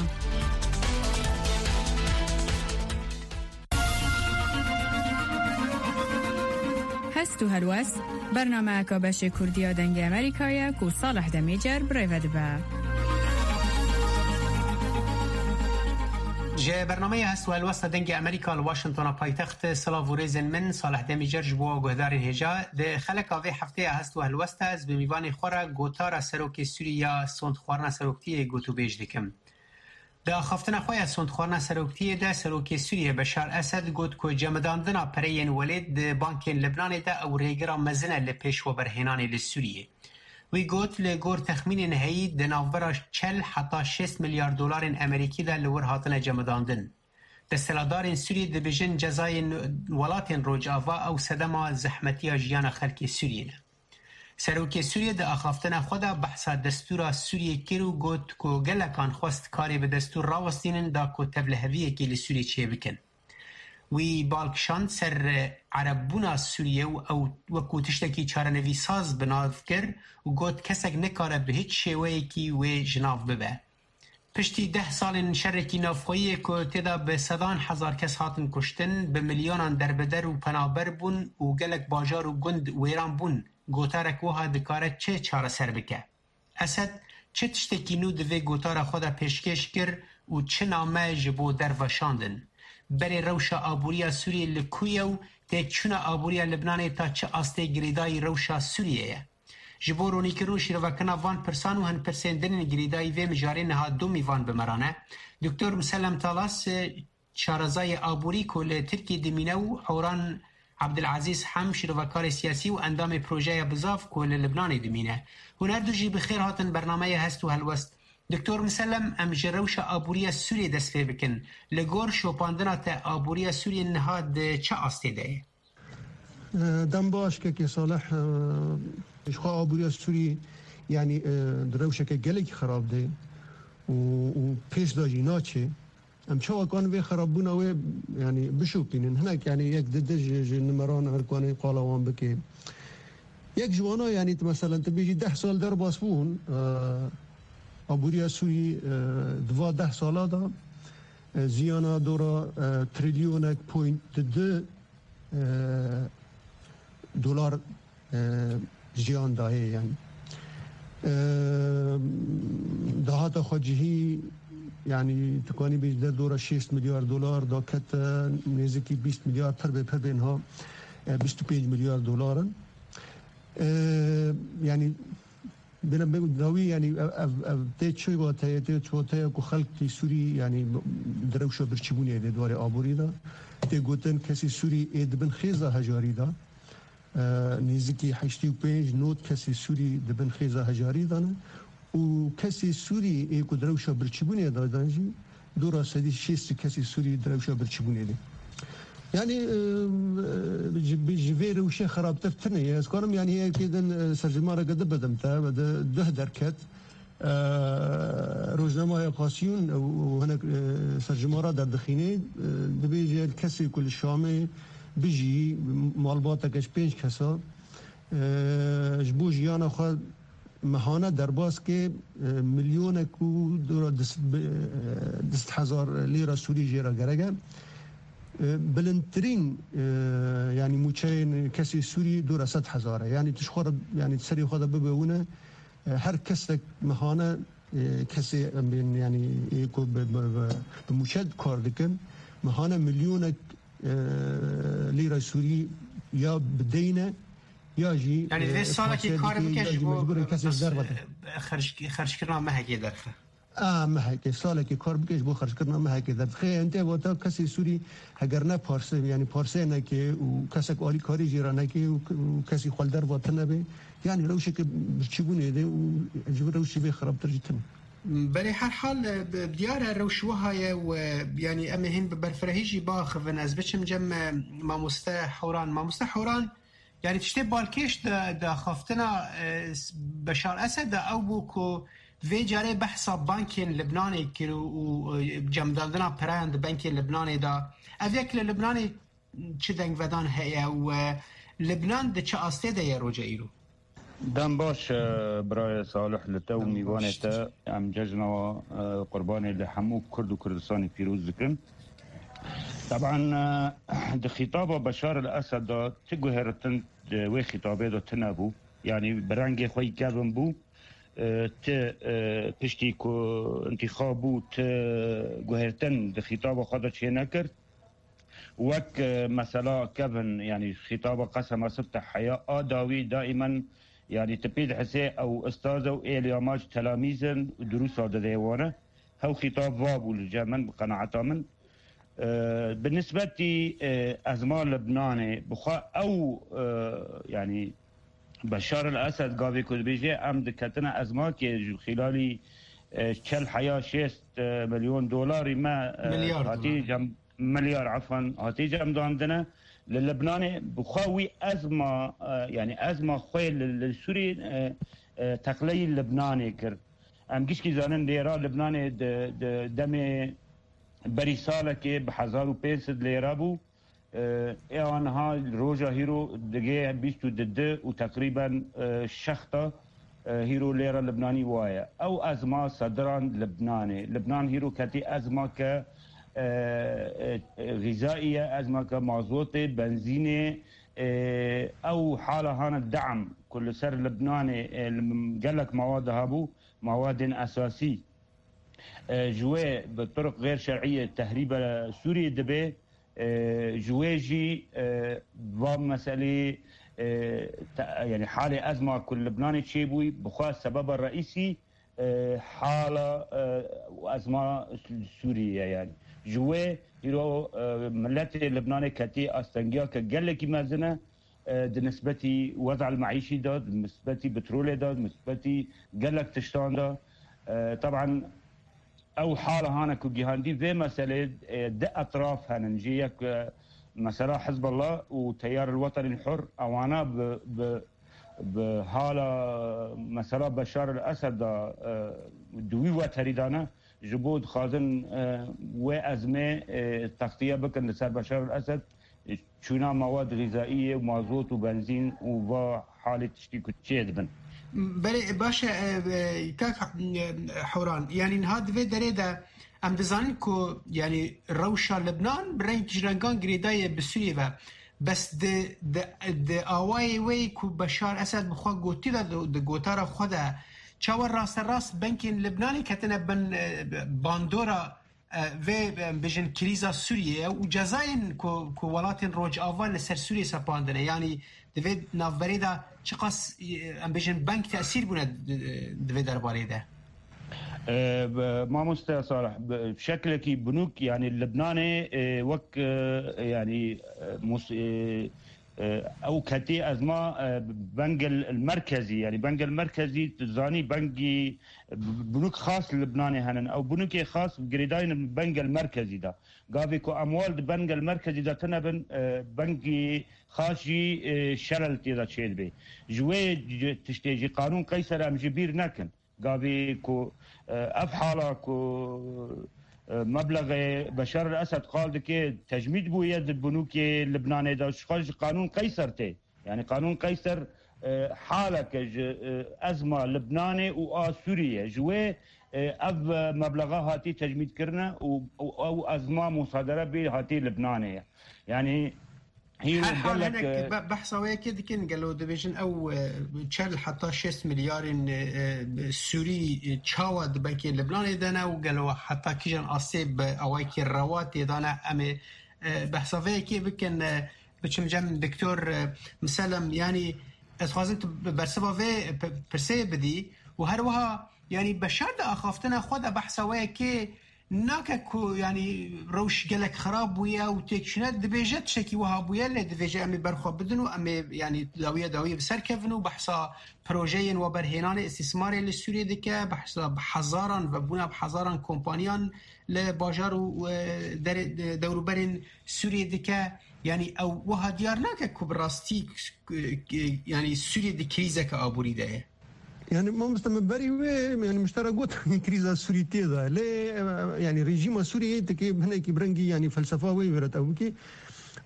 Hest û helwest, bernameyeka beşê Kurdiya Dengê Amerîka ye ku Salih Demîcer bi rê ve dibe. Ji bernameya Hest û Helwesta Dengê Amerîka li Washingtona paytext, silav û rêzên min, Salih Demîcer ji bo guhdarên hêja. Di xeleka vê heftê ya Hest û Helwesta ez bi mîvanê xwe re gotara serokê Sûrî ya sondxwarina seroktiyê gotûbêj dikim. Di axaftina xwe ya sondxwarina seroktiyê de serokê Sûriyê Beşar Esed got ku cemidandina pereyên welêt di bankên Libnanê de ew rêgira mezin e li pêşweberhênanê li Sûriyê. Wî got, li gor texmînên heyî di navbera çel heta şêst milyar dolarên Amerîkî de li wir hatine cemidandin. Desthilatdarên Sûriyê dibêjin cezayên welatên Rojava ew sedema zehmetiya jiyana xelkê Sûriyê ne. Serokê Sûriyê di axaftina xwe de behsa destûra Sûriyê kir û got ku gelekan xwest karê bi destûr rawestînin da ku tevliheviyekê li Sûriyê çêbikin. Wî bal kişand ser erebbûna Sûriyê û ew wekû tiştekî çarenivîsaz bi nav kir û got, kesek nikare bi hiç şêweyekî wê ji nav bibe. Piştî deh salên şerekî navxweyî yê ku tê de bi sedan hezar kes hatin kuştin, bi milyonan derbeder û penaber bûn û gelek bajar û gund wêran bûn, gotarek wiha dikare çi çareser bike? Esed çi tiştekî nû di vê gotara xwe de pêşkêş kir û çi name ji bo derve şandin? Berê rewşa aboriya Sûriyê li ku ye û têkçûna aboriya Libnanê ta çi astê girêdayî rewşa Sûriyê ye? Ji bo ronîkirin û şîrovekirina van pirsan û hin pirsên din ên girêdayî vê mijarê niha du mîvan bi me re ne. Doktor Musellem Talas, e, şarezayê aborî ku li Tirkiyê dimîne û Horan Abdulazîz Hem, şîrovekarê siyasî û endamê Projeya Bizav ku li Libnanê dimîne. Hûn her du jî bi xêr hatin bernameya Hest û Helwest. Doktor Musellem, em ji rewşa aboriya Sûriyê dest pê bikin. Li gor şopandina te aboriya Sûriyê niha di çi astê de ye? E, dem baş kekê Salih, e, ji xwe aboriya Sûrî, yanî, e, di rewşeke gelekî xerab de û, û pêş de jî naçe. Em çawa kan vê xerabbûna wê, yanî, bişopînin? Hinek, yanî, yek dide ji, ji nimeran erkanê qala wan bike. Yek ji wana, yanî, tu meselen, tu bêjî deh sal derbas bûn, e, aboriya Sûrî, e, di va deh sala de, e, ziyana dora, e, trilyonek point di du e, dolar, e, jiyan dayê, yanî. E, dahata xwe cihî, yanî, tu kanî bêjî derdora şêst milyar dolar dakete nêzikî bîst milyar, pir bê, pir bê niha, e, bîst û pênc milyar dolar in. E, yanî, Bêne be dawî, yanî ev, ev, ev tê çi wateya, tê çi wateya ku xelkî Sûrî, yanî, di rewşa birçîbûnê de di warê aborî de. Tê gotin kesî Sûrî ê di bin xêza hejarî de, e, nêzikî heştê û pênc not kesî Sûrî di bin xêza hejarî de ne û kesê Sûrî ê ku di rewşa birçîbûnê de dan jî dora sedî şêst kesî Sûrî di rewşa birçîbûnê de. Yani, e, e, ji, ji vê rewşê xirabtir tune ye. Ez karim, yani, yekê din, e, serjimara ke di bidim te, ve di, duh derket. E, Rojnameya Kasiyûn û, û hinek, e, serjimara derdixîne, e, dibêje kesê ku li Şamê bijî, malbateke ji pênc kesa, e, ji bo jiyana xwe mehane derbas ke, e, milyonek û dora du sed bi-, e, du sed hezar lîra Sûrî jê re gerek e. E, bilindtirîn, e, yani mûçeyên kesê Sûrî dora sed hezar e. Yani tu ji xwe re, yani serê xwe de bibe wine, e, her kesek mehane, e, kesê em bên, yani, ê ku bi, bi, bi, bi mûçe kar dikin, mehane milyonek, e, lîra Sûrî ya bi deyn e, ya jî, Yani, e, divê salekê parsel kar dike, bike ya ji jî bo, mecbûr e kesê bes, derve de. E, xerc-, xerckirina mehekê derxe. A, mehekê, salekê kar bike ji bo xerckirina mehekê derdixe. Em tê wata kesê Sûrî heger ne parse, yani parse neke û kesek alîkarî jê re neke û, û kesî xwe li derva tune be, yani rewşeke birçîbûnê de û ji vê rewşî vê xirabtir jî tune. Belê herhal, e, bi-, diyar e rewş wiha ye û, e, yani em ê hîn bi berfirehî jî biaxivin. Ez biçim cem, e, mamoste Hewran. Mamoste Hewran, yani tiştê balkêş di, di axaftina, e, s-, Beşar Esed de ew bû ku vê carê behsa bankên Libnanê kir û, û, e, cemdandina pereyan di bankên Libnanê de. Ev yek li Libnanê çi dengvedan heye û, e, Libnan di çi astê de ye roja îro? Dem baş, e, birayê Salih, li te û Dem mîvanê baş. te, em cejna, e, qurbanê li hemû Kurd û Kurdistanê pîroz dikin. Teban, e, di xîtaba Beşar el Esed de ti guhêritin di wê xîtabê de tune bû. Yanî bi rengê xwe yî kevin bû. E, ti, e, piştî ku întîxab bû, ti guhêrtin di xîtaba xwe de çê nekir. Wek, e, mesela kevin, yanî xîtaba qesema sibte heya a dawî daîmen, yanî tu pê dihesê ew ustaz e û êlî amac telamîz in û dirûsa dide wane. Hew xîtab va bû li cem min, bi qenaeta min. E, bi nisbetî, e, ezma Libnanê, bi xwe ew, e, yanî Beşar el Esed gavê ku dibêje, em diketine ezmakê ji xîlalî, e, çel heya şêst, e, milyon dolarî me, e, Milyar hatî dolar. cem-, milyar, efan, hatî cemdandine. Li Libnanê bi xwe wî ezma, e, yanî ezma xwe li, li Sûriyê, e, e, teqleyî Libnanê kir. Em gişkî zanin lêra Libnanê di, di demê berî salekê bi hezar û pênc sed lêra bû. E, ê aniha roja hîro digê bîst û du û teqrîben, e, şexta, e, hîro lêra Libnanî waye. Ew ezma sediran Libnanê. Libnan hîro ketî ezma ke, e, e, e, xîzaî ye, ezma ke mazotê, benzînê, e, ew hala hana de'm ku li ser Libnanê, e, li gelek mawad hebû, mawadên esasî. E, ji wê bi turuq xêr şer'iyê tehrîbe Sûriyê dibe, e, ji wê jî, e, va meselê, e, te-, yanî halê ezma ku li Libnanê çêbûyî, bi xwe sebeba reîsî, e, hala, e, ezma Sûriyê ye yanî. Ji wê îro, e, miletê Libnanê ketî astengiya ke gelekî mezin e, e, di nisbetî wez'el meîşî de, di nisbetî petrolê de, di nisbetî gelek tiştan de. E, teban ew hala hane ku gihandî vê meselê, e, di etraf henin. Jê yek, e, mesela Hizbullah û Teyar el Wetenî Hur, ewana bi, bi, bi hala mesela Beşar el Esed de, e, di wî weterî de ne. Ji bo dixwazin, e, wê ezmê, e, textiye bikin li ser Beşar el Esed, e, çûna mewad xîzaiyê, mazot û benzîn û va halê tiştî ku çê dibin. Belê, baş e, e, kak, e, Hewran, yanî niha di vê derê de em dizanin ku, yanî rewşa Libnan bi reng ji rengan girêdayê bi Sûriyê ve. Bes di, di, di awayê wê ku Beşar Esed bi xwe gotî ve di, di gotara xwe de, çawa rasterast bankên Libnanê ketine bin, e, bandora, e, vê, e, bijin krîza Sûriyê û cezayên ku, ku welatên Rojava li ser Sûriyê sepandine. Yanî di vê navberê de çiqas, e, em bijin bank tesîr bûne di, di vê derbarê de? E, b-, mamoste Salih, b-, şeklekî binûk, yanî Libnanê, e, wek, e, yanî, e, mus-, e, E, ew ketî ezma, e, Bengel Merkezî, yanî Bengel Merkezî, tu zanî bengî, e, binûk xas li Libnanê henin. Ew binûkê xas girêdayîn Bengel Merkezî de. Gavê ku emwal di Bengel Merkezî de tune bin, e, bengî xas jî, e, şerel tê de çêdibe. Ji wê c-, tiştê jî qanûn Qeyser em ji bîr nekin. Gavê ku, e, ev hala ku, e, meblexê Beşar el Esed qal dike, tecmîd bûye di binûkê Libnanê de, ji xwe ji qanûn Qeyser tê. Yani qanûn Qeyser, e, haleke ji, e, ezma Libnanê û a Sûriyê. Ji wê, e, ev, e, meblexa hatî tecmîd kirine û, û ew ezma musadere bê hatî Libnanê ye. Yani hîro Her hal gelek, hinek e, be-, behsa wê yekê dikin, gelo dibêjin ew, e, çel heta şêst milyarên, e, e, Sûrî, e, çawa di benkê Libnanê de ne û gelo heta kîjan asê bi awayekî rewa tê de ne? Em ê, e, behsa vê yekê bikin, e, biçim cem Doktor, e, Miselem, yanî ez xwazim tu bi bersiva vê p-, pirseyê bidî û her wiha, yanî Beşar di axaftina xwe de behsa wê yekê nake ku, yanî, rewş gelek xirab bûye û têkçûne dibêje tiştekî wiha bûye, lê divêje em ê berxwe bidin û em ê, yanî, dawiya dawiyê bi ser kevin û behsa projeyên weberhênanê îstîsmarê li Sûriyê dike, behsa bi hezaran, vebûna bi hezaran kompaniyan li bajar û, e, derê, de-, dewrûberên Sûriyê dike. Yanî ew wiha diyar nake ku bi rastî, e, e, yanî Sûriyê di krîzeke aborî de ye. Yani mamoste, min berî wê, yani min ji te re got, krîza Sûrî tê de. Lê, e, yani rejîma Sûriyê tike hinekî bi rengî, yani felsefa wê wêret ew bikî.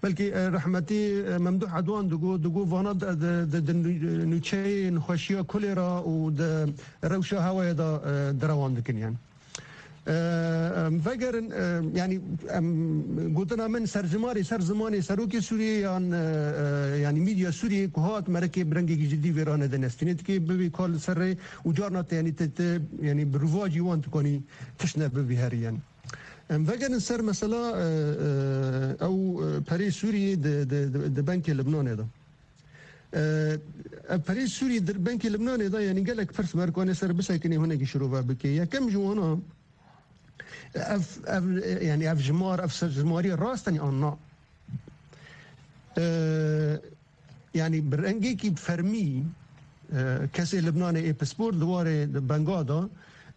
Belkî, e, rehmetî, e, Memduh Edwan digo, digo vana de, de, de, de nû-, nûçeyên xweşiya kolera û de rewşa hewaya de, e, derewan dikin yani. E, em vegerin, e, yani em gotina min serjimarê ser zimanê serokê Sûriyê yan, e, e, yani medya Sûriyê ku hat merekê bi rengekî cidî vê rane de nestîne dike bibî kar li ser rê û carna te yani te, te yani bi rivacî wan dikanî tişt ne bibî herî yani. Em vegerin ser mesela, e, e, ew, e, perê Sûriyê di, di, di, di benkê Libnanê de. E, ev perê Sûrî di benkê Libnanê de, yanî gelek pirs merkanê ser bisekinê hinekî şirove bike. Yekem ji wana, ev, ev, yanî ev jimar, ev ser-, jimarî rast in an na? E, yanî bi rengekî fermî, e, kesê Libnanê ê pispor di warê di benga de,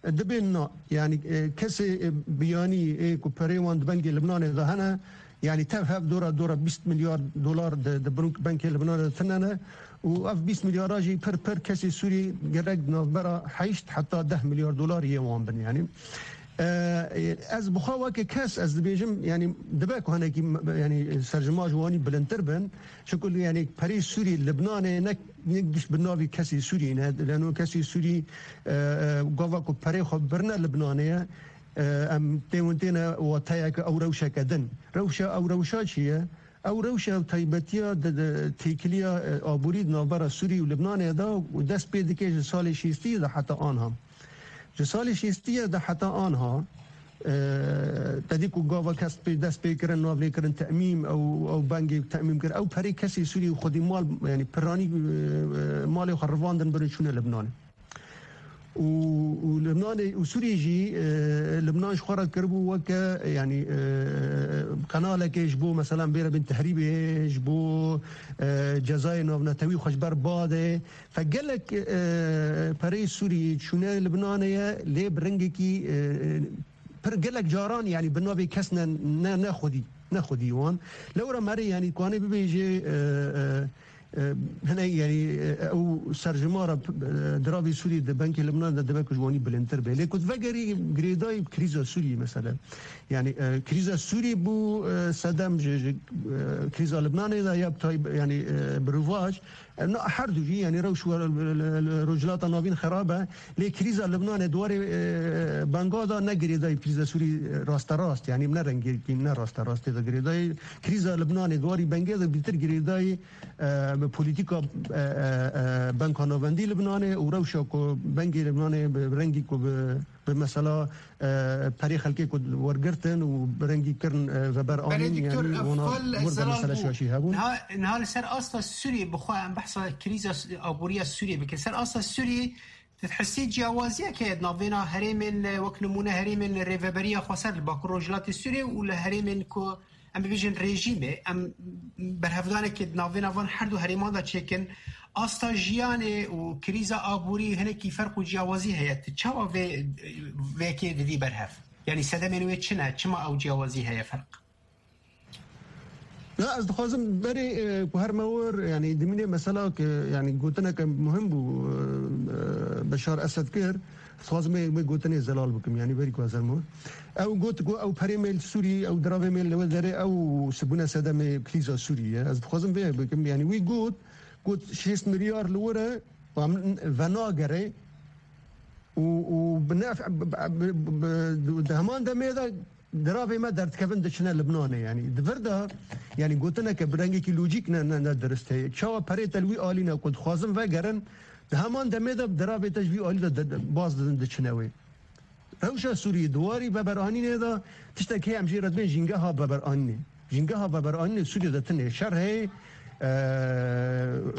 e, dibên na. Yanî, e, kesê, e, biyanî ê ku perê wan di bengê Libnanê de hene, yanî tev hev dora, dora bîst milyar dolar di, di bank-, benkê Libnanê de tine ne. Û ev bîst milyara jî pir pir kesê Sûrî gerek di navbera heşt heta deh milyar dolar yê wan bin. Yanî, e, e, ez bi xwe weke kes ez dibêjim, yanî dibe ku hinekî, yanî serjima ji wanî bilindtir bin. Çiku, yanî perê Sûrî Libnanê ne, ne giş bi navî kesî Sûrî ne. Leno kesî Sûrî, e, e, gava ku perê xwe birine Libnanê ye, e, em tê hûn têne wateyeke ew rewşeke din. Rewşa ew rewşa çi ye? Ew rewşa ew taybetiya di, di têkiliya, e, aborî di navbera Sûrî û Libnanê de û dest pê dike ji salê şêstî de heta anha. Ji salê şêstî de heta anha, e, te dî ku gava kes pê dest pê kirin, nav lê kirin temîm, ew, ew bengê temîm kir. Ew perê kesê Sûrî û xwedî mal, yanî piranî, e, e, malê xwe rivandin birin çûne Libnanê. Û, û Libnanê û Sûriyê jî, e, Libnan ji xwe re kiribû weke, yanî, e, qenalekê ji bo, meselan, bêre bin tehrîbê, ji bo, e, cezayê navnetewî xwe ji ber badê. Fe gelek, e, pereyê Sûriyê çûne Libnanê ye, lê bi rengekî, e, pir gelek caran, yanî bi navê kes ne, ne, ne xwedî, ne xwedî wan. Lewra merê, yanî, kanê bibêje, e, e, e, hine, yanî, e, ew serjimara, e, diravê Sûriyê di benkê Libnanê de dibe ku ji wanî bilindtir be. Lê ku vegerî girêdayî krîza Sûriyê, mesela. Yanî, e, krîza Sûriyê bû, e, sedem ji, ji, e, krîza Libnanê de ya bi tayb-, yanî, e, bi rivac. E, na, her du jî, yanî rewş we-, li, li, li Rojhilata Navîn xerab e. Lê krîza Libnanê di warê, e, benga de ne girêdayî krîza Sûrî, e, rasterast, yanî ne rengekî, ne rasterast tê de girêdayî. Krîza Libnanê di warî bengê de bîtir girêdayî, e, bi polîtîka, e, e, e, Banka Navendî Libnanê û rewşa ku bengê Libnanê bi rengî ku bi, bi mesela, e, perê xelkê ku wergirtin û bi rengî kirin, e, veber Belê anîn, Doktor, yanî ev wana xwe li wir de zelal mesele bû. Şaşî hebûn. Niha, niha li ser asta Sûriyê bi xwe em behsa krîza s-, aboriya Sûriyê bikin. Ser asta Sûriyê tu dihesî ciyawaziyek heye di navbêna herêmên, e, wek nimûne herêmên Rêveberiya Xweser li Bakur Rojhilatê Sûriyê û li herêmên ku em bibêjin rejîmê, em berhevdanekê di navbêna van her du herêman de çêkin, asta jiyanê û krîza aborî hinekî ferq û ciyawazî heye. Tu çawa vê, vê yekê didî berhev? Yanî sedemên wê çi ne? Çima ew ciyawazî heye, ferq? Na, ez dixwazim berê, e, ku her me wir, yanî dimînê mesela ke, yanî gotineke muhim bû, e, e, Beşar Esed kir. Dixwazim wê, wê gotinê zelal bikim, yanî berî ku ez hermo. Ew got ku ew perê me li Sûrî, ew diravê me li wê derê, ew sibûne sedemê krîza Sûrî ye. Ez dixwazim vê bikim, yanî wî got, got şêst milyar li wir e, em venagere û, û bi nef-, bi, bi, bi, bi, di heman demê de diravê me derdikevin diçine Libnanê. Yanî di vir de, yanî gotineke bi rengekî lojîk ne, ne, ne dirist heye. Çawa perê te li wî alî ne ku dixwazin vegerin, di heman demê de diravê te ji vî alî de, de, de baz didin diçine wê. Rewşa Sûriyê di warî veberanînê de tiştek heye em jê re dibên jîngeha veberanînê. Jîngeha veberanînê Sûriyê de tune şer heye, e,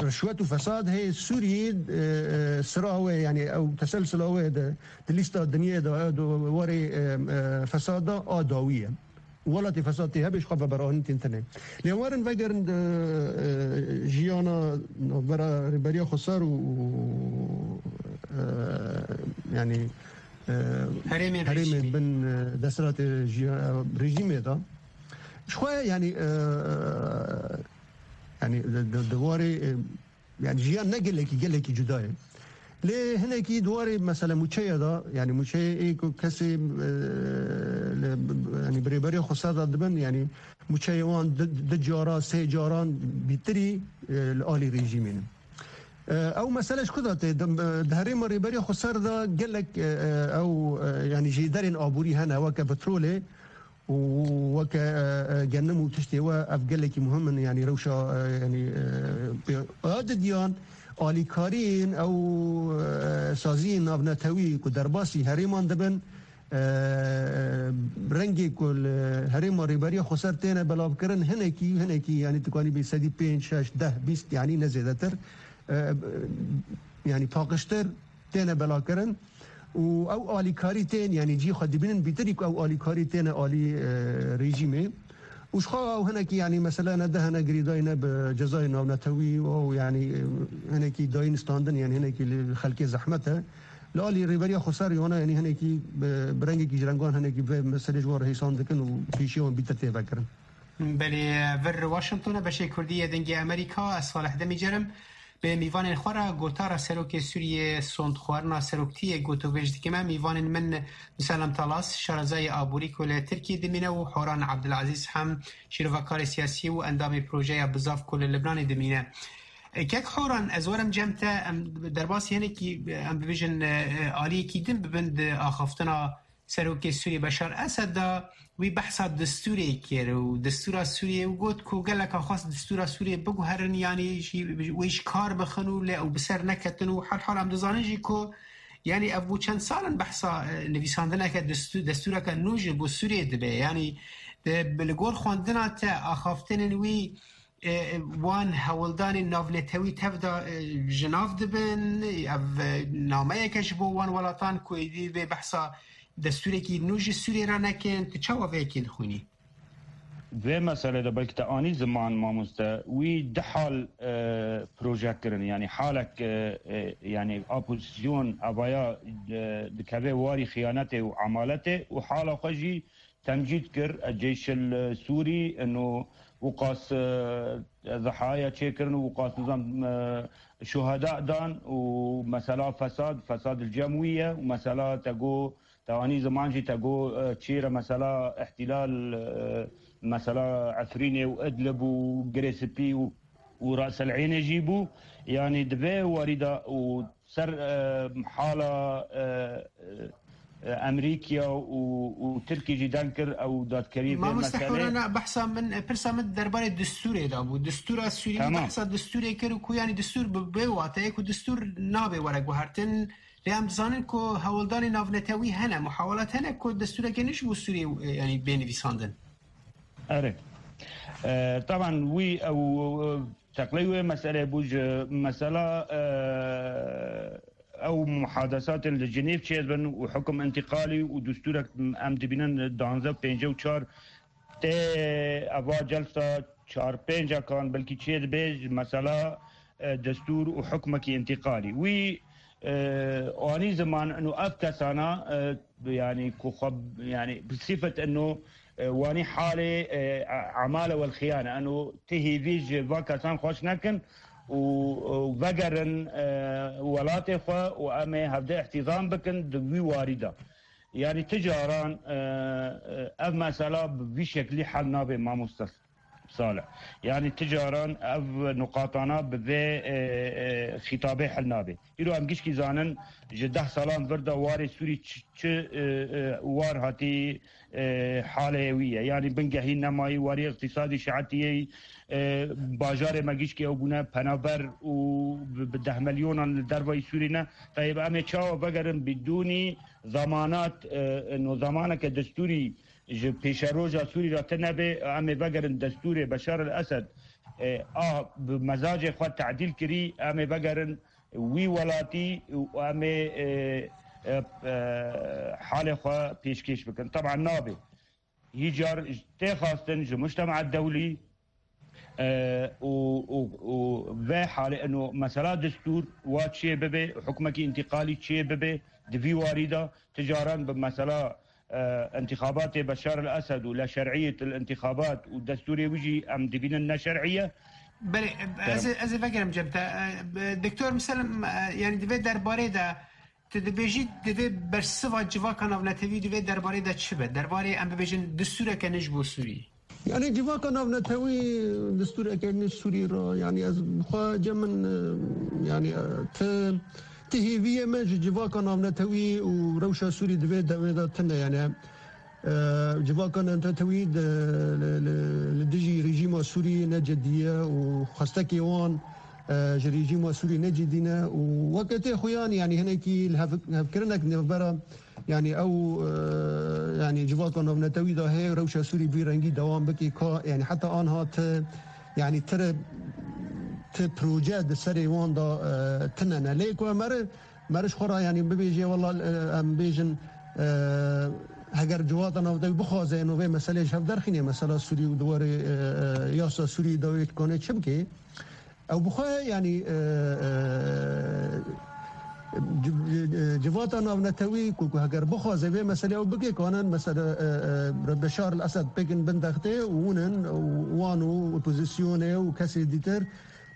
rişwet û fesad heye. Sûriyê, e, e, sira wê, yanî ew teselsila wê de di lîsta dinyayê de, e, di warê, e, e, fesad de a dawî ye. Welatê fesad tê hebe, ji xwe veberanîn tên tune. Lê werin vegerin di, e, jiyana navbera Rêberiya Xweser û, û, e, yanî, e, Herêmên herêmên rejîmê. Bin, e, desthilatê jiya-, rejîmê de. Ji xwe, yanî, e, yanî di, di, di warê, e, yanî jiyan ne gelekî, gelekî cuda ye. Lê hinekî di warê mesela mûçeya de, yanî mûçeyê ê ku kesê, e, li, yanî bi Rêberiya Xweser de dibin, yanî mûçeyê wan di, di cara, sê caran bîtirî, e, li alî rejîmê ne. E, ew mesele ji ku de tê? Di, di herêma Rêberiya Xweser de gelek, e, e, ew, e, yanî jêderên aborî hene, weke petrolê û weke, e, e, genim û tiştê we, ev gelekî muhim in, yanî rewşa, e, yanî, e, pê-, a didiyan alîkariyên ew, e, saziyên navnetewî ku derbasî herêman dibin, e, rengê ku li herêma Rêberiya Xweser têne belavkirin, hinekî, hinekî, yanî tu kanî bê sedî pênc, şeş, deh, bîst, yanî ne zêdetir, e, yanî paqijtir têne belakirin û ew alîkarî tên, yanî cî xwe dibînin bîtirî ku ew alîkarî têne alî, e, rejîmê. Û ji xwe ew hinekî, yanî mesele ne deh ne girêdayî ne bi cezayê navnetewî û ew, yanî, e, hinekî dayîn standin, yanî hinekî li xelkê zehmet e. Li alî Rêberiya Xweser wana, yanî hinekî bi, bi rengekî ji rengan hinekî vê meselê ji wan re hêsan dikin û pêşiya wan bîtir tê vekirin. Belê, vir Washington e, beşê Kurdî yê Dengê Amerîka, ez Salih Demîcer im. Bi mîvanên xwe re gotara Serokê Sûriyê, sondxwarina seroktiyê gotovêj dikime. Mîvanên min Musalem Talas, şarezayê aborî ku li Tirkiyê dimîne û Horan Abdulazîz hem şîrovekarê siyasî û endamê projeya Bizav ku li Libnanê dimîne. E, kek Horan, ez werim cem te, em derbasî hinekî, em bibêjin, e, e, aliyekî din bibin di axaftina Serokê Sûriyê Beşar Esed de. Wî behsa distûrê kir û distûra Sûriyê û got ku gelek xwest distûra Sûriyê biguherin, yanî jî wê ji kar bixin û lê ew bi ser neketin û her hal em dizanin jî ku, yanî ev bû çend sal in behsa, e, nivîsandineke distû-, destûreke nû ji bo Sûriyê dibe. Yanî, e, bi, li gor xwendina te axaftinên wî, e, wan hewldanên navnetewî tev de, e, ji nav dibin. Ev, e, nameyeke ji bo wan welatan ku êdî vê behsa destûrekî nû ji Sûriyê re nekin. Tu çawa vê yekê dixwînî? Vê meselê de belkî te anî ziman, mamoste, wî du hal, e, proje kirin. Yanî halek, e, e, yanî opozîsyon evaya, e, dikeve warî xiyanetê û emaletê û hala xwe jî temcîd kir, e, Ceyşil, e, Sûrî, ino wiqas, e, zehaya çêkirin û wiqas nizam, e, şuheda dan û mesela fesad, fesad li cem wî ye û mesela te got, te anî ziman jî te got, e, çêre mesela îhtîlal, e, mesela Efrînê û Idlib û Girê Spî û, û Ras El Eynê jî bû. Yanî di vê warî de û ser, e, hala, e, e, Emerîkya û, û Tirkî jî deng kir ew dadkerî vê Mamoste meselê. Hewrana, behsa min, e, pirsa min derbarê distûrê de bû. Distûra Sûrî, Tamam. Behsa distûrê kir û ku, yanî, distûr bi, bi wateyê ku distûr nabe were guhertin. Lê em dizanin ku hewldanê navnetewî hene, muhawelat hene ku destûrekê nû ji bo Sûriyê, e, yanî bê nivîsandin. Erê. E, taban wî ew, e, teqley wê meselê bû ji mesela, e, ew muhadesatên li Cinêv çêdibin û hukum întîqalî û destûrek em dibînin danzdeh pêncî û çar tê eva celsa çar pêncekan belkî çê dibe ji mesela, e, destûr û hukmekî întîqalî. Wî, e, anî ziman ino ev kesana, e, yanî ku xwe, yanî bi sifet ino, e, wanî halê, e, a-, amale wel xiyane. Ino ti hêvî ji va kesan xweş nekin û, û vegerin, e, welatê xwe û em ê hevde îhtîzam bikin di wî warî de. Yanî ti caran, e, e, ev mesela bi vî şeklî hel nabe, mamoste Salih. Yanî ti caran ev nuqatana bi vê, e, e, xîtabê hel nabe. Îro em gişkî zanin ji deh salan vir de warê Sûrî çi, çi, e, e, war hatî, e, halê wî ye. Yanî bingehî nemayî, warî îqtîsadî şeetiyê, e, bajarê me gişkî ew bûne penaber û bi, bi deh milyonan li dervayî Sûrî ne. Tayê em ê çawa vegerin bidûnî zemanat, e, no zemaneke destûrî ji pêşeroja Sûrî re tune be, em ê vegerin destûrê Beşar el Esed, e, a bi mezacê xwe tedîl kirî, em ê vegerin wî welatî û em ê, e, e, e, halê xwe pêşkêş bikin. Teban nabe. Hîcar tê xwestin ji mujtema dewlî, e, û, û, û vê halê ino mesela destûr wa çê bibe, hukmekî întîqalî çê bibe, di vî warî de ti caran bi mesela, e, întîxabatê Beşar el Esed û la şer'iyet el întîxabat û destûrê wî jî em dibînin ne şer'î ye. Belê, ez, ez ê vegerim cem te. E, Doktor Miselim, e, yanî di vê derbarê de tu dibêjî divê bersiva civaka navnetewî di vê derbarê de çi be? Derbarê em bibêjin distûreke nû ji bo Sûrî. Yanî civaka navnetewî distûreke nû Sûrî re, yanî ez bi xwe cem min, e, yanî, e, ti, ti hêviyê me ji civaka navnetewî û rewşa Sûrî di vê demê de tune, yanî, e, civaka navnetewî di, li, li, li dijî rejîma Sûrî ne cidî ye û xwestekê wan, e, ji rejîma Sûrî ne cidî ne û weke tê xuyan, yanî hinekî li hev-, hevkirinek nêvbera Yanî ew, e, yanî civaka navnetewî de hê rewşa Sûrî bi vî rengî dewam bike, ka, yanî heta anha ti, yanî ti re, ti proje di serê wan de, e, tine ne. Lê ku em mere, mere ji xwe re, yanî bibêje, wela, e, em bêjin, e, heger civaka navnetewî bixwaze, eno vê meselê ji hev derxîne, mesela Sûrî û di warê, e, e, yasa Sûrî de wê kanê çi bike? Ew bi xwe, yanî, e, e, ci-, ci-, civata navnetewî ku, ku heger bixwaze vê meselê ew bike, kanin mesele, e, e, Beşar el Esed pêkin bin dextê û hûn in û wan û opozisyonê û kesê dîtir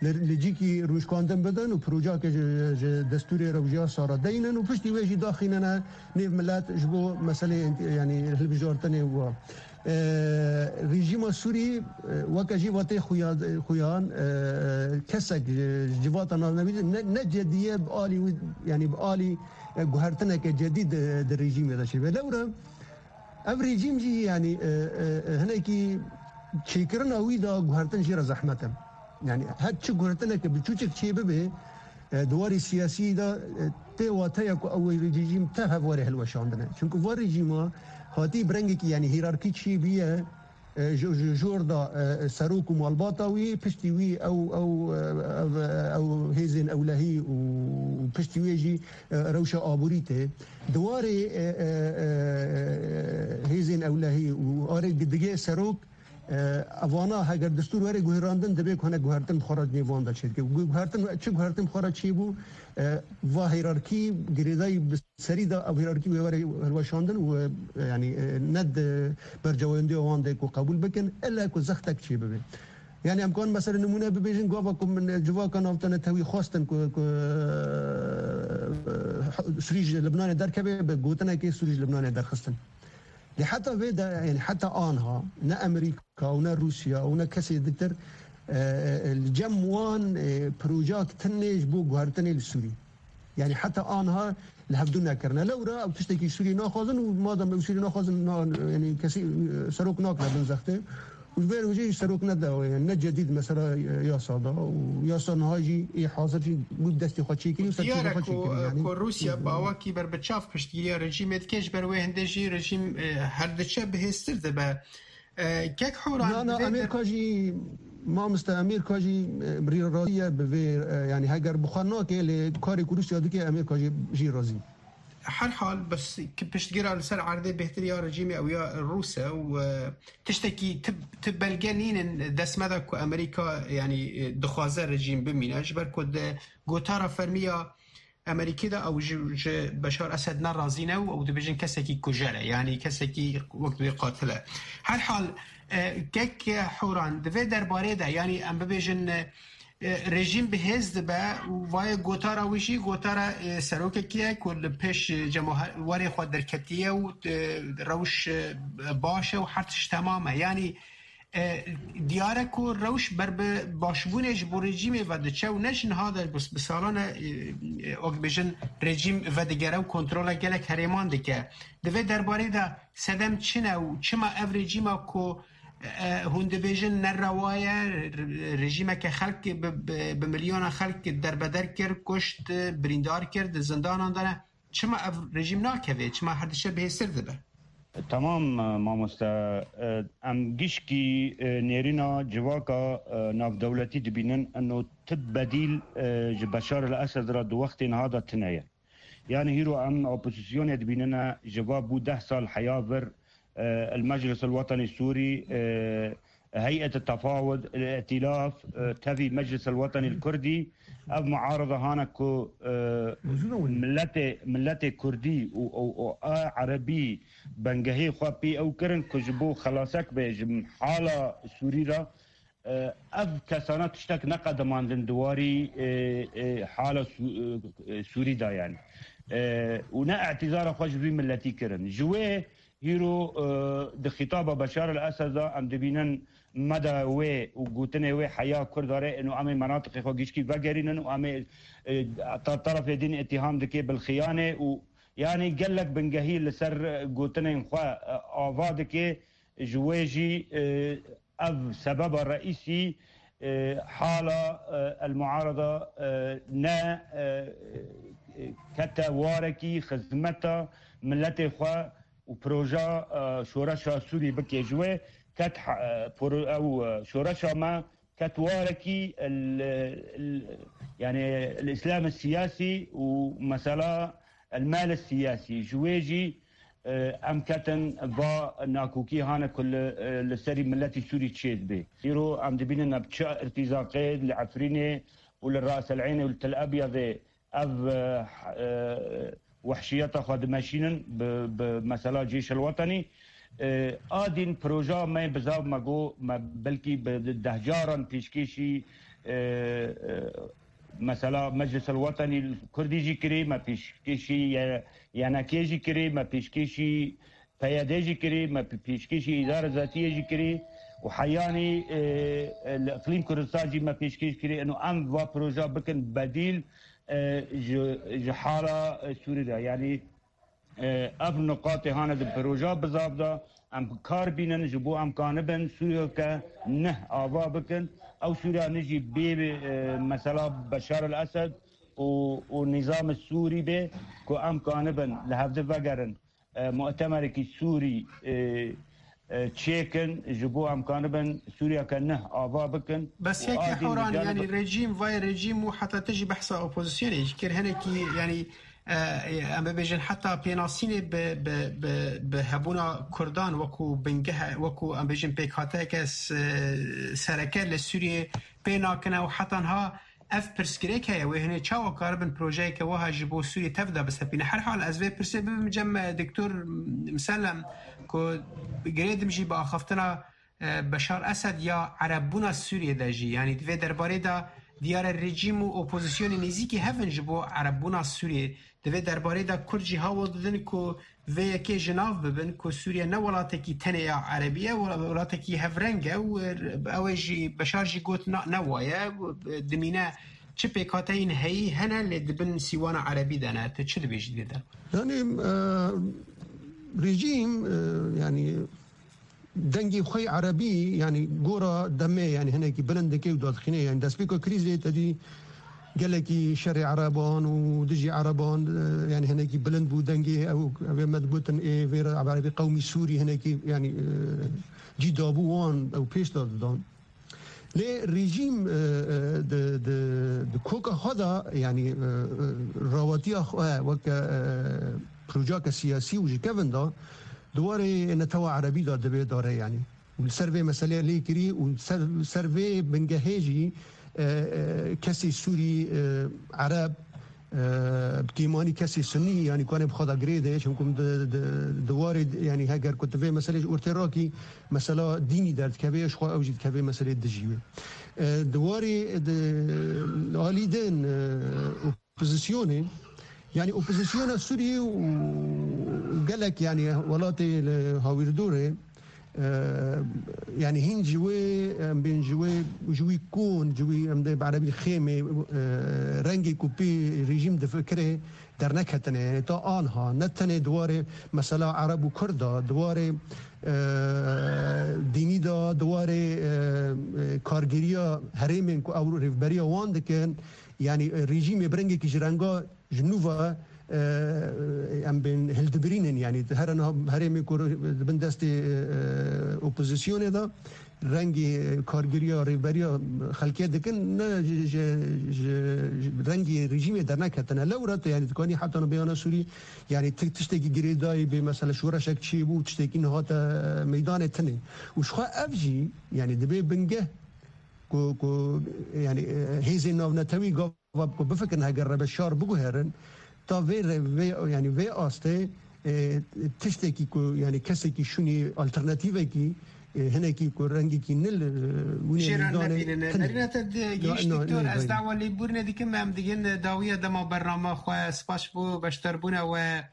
li, li cîkî rûnişkandin bidin û projeyeke ji, ji destûrê rewşa sara deynin û piştî wê jî daxînine nêv milet ji bo meselê, yanî hilbijartinê wa. E, rejîma Sûrî, e, weke jî vatê xuya-, xuyan, e, kesek ji, ji civata navnetewî ne, ne cedî ye bi alî wî, yanî bi alî, e, guhertineke cedî di, di rejîmê de çêbe. Lewra ev rejîm jî, yanî, e, e, e, hinekî çêkirina wî de guhertin jê re zehmet e. Yanî her çi guhertineke biçûçik çê bibe, e, di warê siyasî de, e, tê wateya ku ew rejîm tev hev were hilweşandine. Çunku va rejîma hatî bi rengekî, yanî hîrarkî çêbûye, e, ji, ji jor da, e, serok û malbata wî, piştî wî ew, ew, e, ev, e, ew hêzên ewlehî û, û piştî wê jî, e, rewşa aborî tê. Di warê, e, e, e, hêzên ewlehî û arê digê serok, E, evana heger destûr were guherandin, divê ku hinek guhertin bi xwe re nêvan de çêdike. Gu-, guhertin, çi guhertin bi xwe re çêbû, e, va hîrarkî girêdayî bi serî de ev hîrarkî wê were hilweşandin û, e, yanî, e, ne di berjewendiya wan de ku qebûl bikin, ille ku zextek çê bibe. Yanî em kan mesela nimûne bibêjin, gava ku min civaka navnetewî xwestin ku, ku, e, Sûrî ji Libnanê derkeve, bi gotinekê Sûrî ji Libnanê derxistin. Lê heta vê de, yanî heta anha ne Amerîka û ne Rûsya û ne kesê ditir, e, e, li cem wan, e, projak tinê ji bo guhertinê li Sûrî. Yanî heta anha li hevdû nekirine. Lewra ew tiştekî Sûrî naxwazin û madem ew Sûrî naxwazin, na-, yanî kesî, e, serok nakine bin zextê. Û ji vê re jî serok ne dawê, ne cedîd mesela, e, yasa da û yasa niha jî ê hazir jî bû destê xwe çêkirî û ser çêkirî xwe çêkirî, yanî. Ku Rûsya bi awakî berbiçav piştgiriya rejîmê dike, ji ber wê hindê jî rejîm, e, her diçe bihêztir dibe. E, kek Hûran, na, na, Amerîka jî, mamoste, Amerîka jî, e, rî razî ye bi vê, e, yanî heger bi xwe nake, lê karê ku Rûsya dike, Amerîka jî, jî razî. Her hal, bes ki piştgira li ser erdê bêhtir ya rejîmê ew ya Rûs e û, e, tiştekî ti, ti belge nînin dest me de ku Amerîka, yanî, e, dixwaze rejîm bimîne, ji ber ku di gotara fermî ya Amerîkî de ew ji, ji Beşar Esed ne razî ne û ew dibêjin kesekî kujer e, yanî kesekî wek dibê qatil e. Her hal, e, kek Horan, di vê derbarê de, yanî em bibêjin, e, e, rejîm bi hêz dibe û vayê gotara wî jî gotara, e, serokekî ye ku li pêş, e, cemawerê xwe derketiye û, e, rewş, e, baş e û her tişt temam e. Yanî, e, diyar e ku rewş ber bi başbûnê ji bo rejîmê ve diçe û ne ji niha de bi, bi salan e, e, e, wek bêjin rejîm vedigere û kontrola gelek herêman dike. Di vê derbarê de sedem çi ne û çima ev rejîma ku, e, hûn dibêjin nerewa ye, re-, rejîmeke xelk bi, bi, bi milyona xelk derbeder kir, kuşt, birîndar kir, di zindanan de ne. Çima ev rejîm nakeve? Çima her dişe bihêstir dibe? Tamam, e, mamoste. E, em gişkî, e, nêrîna civaka, e, navdewletî dibînin, eno ti bedîl, e, ji Beşar el Esed re di wextê niha de tune ye. Yani hîro em opozisyonê dibînine, ji va bû deh sal heya vir, e, El Meclis El Wetenî Sûrî, e, Heyet Tefawud, El Îtilaf, e, tevî Meclis El Wetenî El Kurdî, ev muarada hane ku, e, Muzûna wî. Milletê, milletê Kurdî û, û, û a Erebî bengehê xwe pê ew kirin ku ji bo xelasek be ji hala Sûrî re, e, ev kesana tiştek neqedimandin di warî, e, e, hala Sû-, e, e, Sûrî de yani. E, û ne îtîzara xwe ji vî milletî kirin. Ji wê hîro, e, di xîtaba Beşar el Esed de em dibînin meda wê û gotinê wê heya Kurd are, ino em ê menatiqê xwe gişkî vegerînin û em ê, e, ta terefê din îtîham dike bil xiyanê û yani gelek bingehî li ser gotinên xwe, e, ava dike. Ji wê jî, e, ev sebeba reîsî, e, hala, e, el muarada, e, ne, e, e, kete warekî xizmeta miletê xwe û proja, e, şoreşa Sûrî bike. Ji wê ket ha-, e, pro-, ew, e, şoreşa me ket warekî el, el, yani el Îslam siyasî û mesela el mal siyasî. Ji wê jî, e, em ketin va nakokî hane ku li, e, li serî miletî Sûrî çêdibe. Îro em dibînin ev çi irtîzaqê li Efrînê û li Ras El Eynê û li Tel Ebyadê ev, e, e, wehşiyeta xwe dimeşînin bi, bi mesela Cêş El Wetenî. E, a din proja me bizav me got, me belkî bi dehcaran pêşkêşî, e, e, mesela Meclis El Wetenî Kurdî jî kirî, me pêşkêşî ye-, Y N K'ê jî kirî, me pêşkêşî P Y D'ê jî kirî, me pê-, pêşkêşî Îdara Zatiyê jî kirî û heyanî, e, e, li Îqlîm Kurdistan jî me pêşkêş kirî. Eno em va proja bikin bedîl, e, ji, ji hala, e, Sûrî de. Yanî, e, ev nuqatê hane di proja bizav de em kar bînin, ji bo em kanibin Sûriyeke neh ava bikin. Ew Sûriya nijî bê, e, mesela Beşar el Esed û, û nîzamê Sûrî bê ku em kanibin li hevdi vegerin, e, mutemerekî Sûrî, e, e, çêkin, ji bo em kanibin Sûriyeke neh ava bikin. Bes û yekê a din Horan, dicanê yanî bi- rejîm, vay rejîm û heta tu jî behsa opozisyonê jî kir. Hinekî, yanî, e, em bibêjin heta pênasînê bi, bi, bi, bi hebûna Kurdan wekû bingeh, wekû em bêjin pêkhateyeke s-, sereke li Sûriyê pê nakine û heta niha ev pirsgirêk heye, wê hinê çawa karibin projeyeke wiha ji bo Sûriyê tev de bisepîne? Her hal ez vê pirsê bibim cem, e, Doktor Misellem, ku girêdim jî bi axaftina, e, Beşar Esed ya Erebbûna Sûriyê de jî, yanî di vê derbarê de diyar e rejîm û opozisyonê nêzîkî hev in ji bo Erebbûna Sûriyê. Di vê derbarê de Kurd jî hewl didin ku vê yekê ji nav bibin ku Sûriye ne welatekî tenê ya Erebî ye, wel-, welatekî hevreng e û ew ê jî Beşar jî got na, ne wa ye, dimîne çi pêkhateyên heyî hene lê di bin sîwana Erebî de ne. Tu çi dibêjî di vê de? Yanî, e, rejîm, e, yanî dengê xwe yê erebî, yanî gora demê, yanî hinekî bilind dike û dadixîne. Yanî destpêka krîzê te dî gelekî şerê ereban û dijî ereban, e, yanî hinekî bilind bû dengê ew, ew ê me digotin ê vê re erebî qewmî Sûrî hinekî, yanî, e, cî dabû wan ew pêş de didan. Lê rejîm, e, e, di, di, di koka xwe de, yanî, e, e, rawatiya xwe weke, e, projeyeke siyasî û ji kevin de di warê netewa erebî de divê dare, yanî. Û li ser vê meselê lê kirî û ser, ser vê bingehê jî, e, e, kesê Sûrî, e, Ereb, e, bi kêmanî kesê Sunî, yanî ku em ê bi xwe de girê de, çimkû di, di, di warê, yanî heger ku tu vê meselê ji ortê rakî, mesela dînî derdikeve, ji xwe ew jî dikeve meselê dijî wê. E, di warê, di alî din, e, opozisyonê, yanî opozisyona Sûriyê û gelek, yanî welatê li hawîrdorê, e, yanî hîn ji wê, em bên ji wê, ji wî kon, ji wî em dê bi erebî xêmê, e, rengê ku pê rejîm difikire derneketine. Yanî ta anha ne tenê di warê mesela Ereb û Kurd de, di warê, e, dînî de, di warê, e, e, kargeriya herêmên ku ew rêvberiya wan dikin, yanî, e, rejîmê bi rengekî ji renga ji nû ve, e, em bên hildibirînin, yanî here niha herêmê ku di bin destê, e, e, opozisyonê de rengê, e, kargeriya rêvberiya xelkê dikin, ne ji, ji, ji, ji rengê rejîmê derneketine. Lewra te, yanî dikanî heta niha bêhna Sûrî, yanî ti-, tiştekî girêdayî bê, mesela şoreşek çêbû, tiştekî niha te meydanê tune. Û ji xwe ev jî, yanî dibe bingeh ku, ku, yanî, e, hêzên navnetewî gava ku bifikirin heger rebe şar biguherin, ta vê re-, vê, yanî vê astê, e, tiştekî ku, yanî kesekî şûnî alternatîvekî, e, hinekî ku rengekî nil, e, wînê Jê re meydanê nebînin. Tune. Nerîna te di Ya, gihîşt na-, doktor, na-, ez na-, dawa lêbûrinê dikim, em digin dawiya dema bernama xwe. Spas ji bo beşdarbûna we.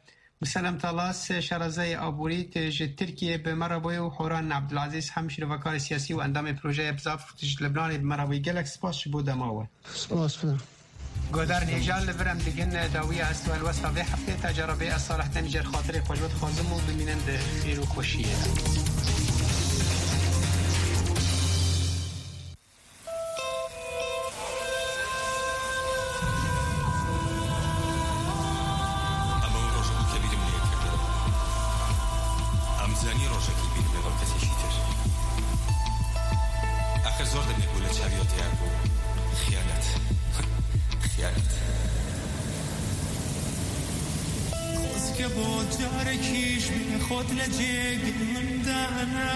Miselem Talas, şarezayê aborî, tu ji Tirkiyê bi me re bûyî û Horan Abdulaziz hem şîrovekarê siyasî û endamê projeyê Bizav, tu ji Libnanê bi me re bûyî. Gelek spas ji bo dema we. Spas. Guhdarên hêja, li vir em digin dawiya hest û helwesta vê heftê. Ta cara vê ez Salih Demî jêr xatirê xwe ji we dixwazim û bimînin di xêr û xweşiyê de. ئەمە ڕۆژە بوو کە بیرم لێ کردەوە. ئەم زانی ڕۆژەکی بیرم لەگەڵ کەسێکی تر. ئاخر زۆر دەمێک بوو لە چاوی ئەو تەیار بوو. خیانەت. خیانەت. خۆزگە بۆ جارێکیش بێ خۆت لە جێگەی من دانا.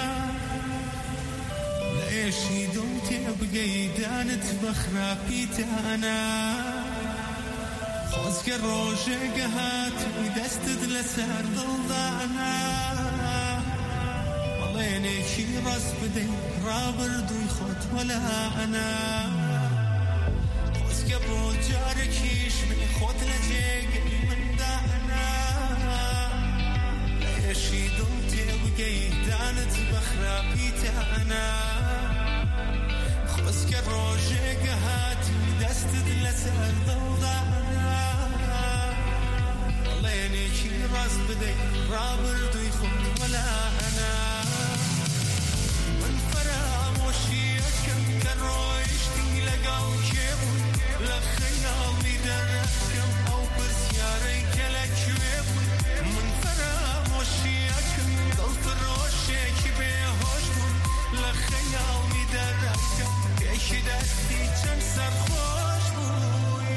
لە ئێشی دڵ تێبگەی دانت بە خراپی دانا. خۆزگە ڕۆژێگە هات و دەستت لەسەر دڵدانا. بەڵێنێکی ڕاست بدەی ڕابردووی خۆت وەلانا. خۆزگە بۆ جارێکیش بێ خۆت لە جێگەی من دانا. لە ئێشی دڵ تێبگەی دانت بە خراپی تانا. خۆزگە ڕۆژێگە هات و دەستت لەسەر دڵدانا. بەڵێنێکی ڕاست بدەی ڕابردووی خۆت وەلانا. من فەرامۆشیەکەم کە ڕۆیشتی لەگەڵ کێ بووی. لە خەیاڵی دەرەکەم ئەو پرسیارەی کە لە کوێ بووی. من فەرامۆشیەکەم دڵفرۆشێکی بێهۆش بووم. لە خەیاڵی دەرەکەم پێشی دەستی چەند سەرخۆش بووی.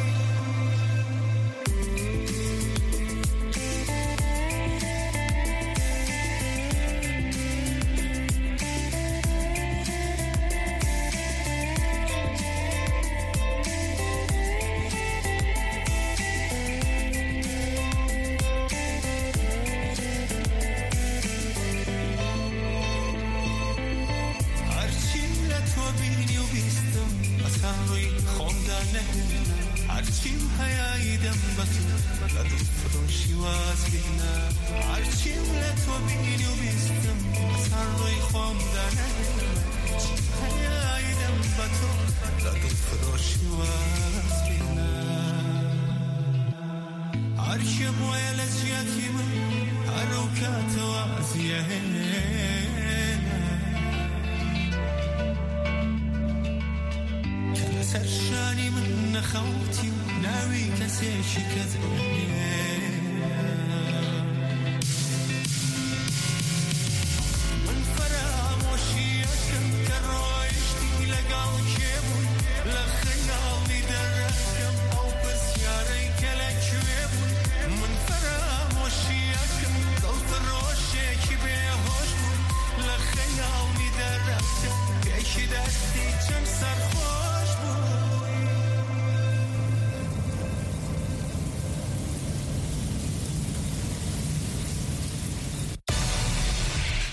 هەرچیم لە تۆ بینی و بیستم، بەسەر ڕووی خۆمدا نەهێنا. هەرچیم هەیە ئیدەم بە تۆ، لە دڵفرۆشی واز بێنا. هەرچیم لە تۆ بینی و بیستم، بەسەر ڕووی خۆمدا نەهێنا. هەیە ئیدەم بە تۆ، لە دڵفرۆشی واز بێنا. هەر کێ بووە لە جیاتی من، هەر ئەو کاتەوە زیەهێنە. کە لەسەر شانی من نەخەوتی و ناوی کەسێکی کەت ئەهێنە. من فەرامۆشیەکەم کە ڕۆیشتی لەگەڵ کێ بووی. لە خەیاڵی دەرە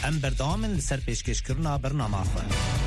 Em berdewam in li ser pêşkêşkirina bernama xwe.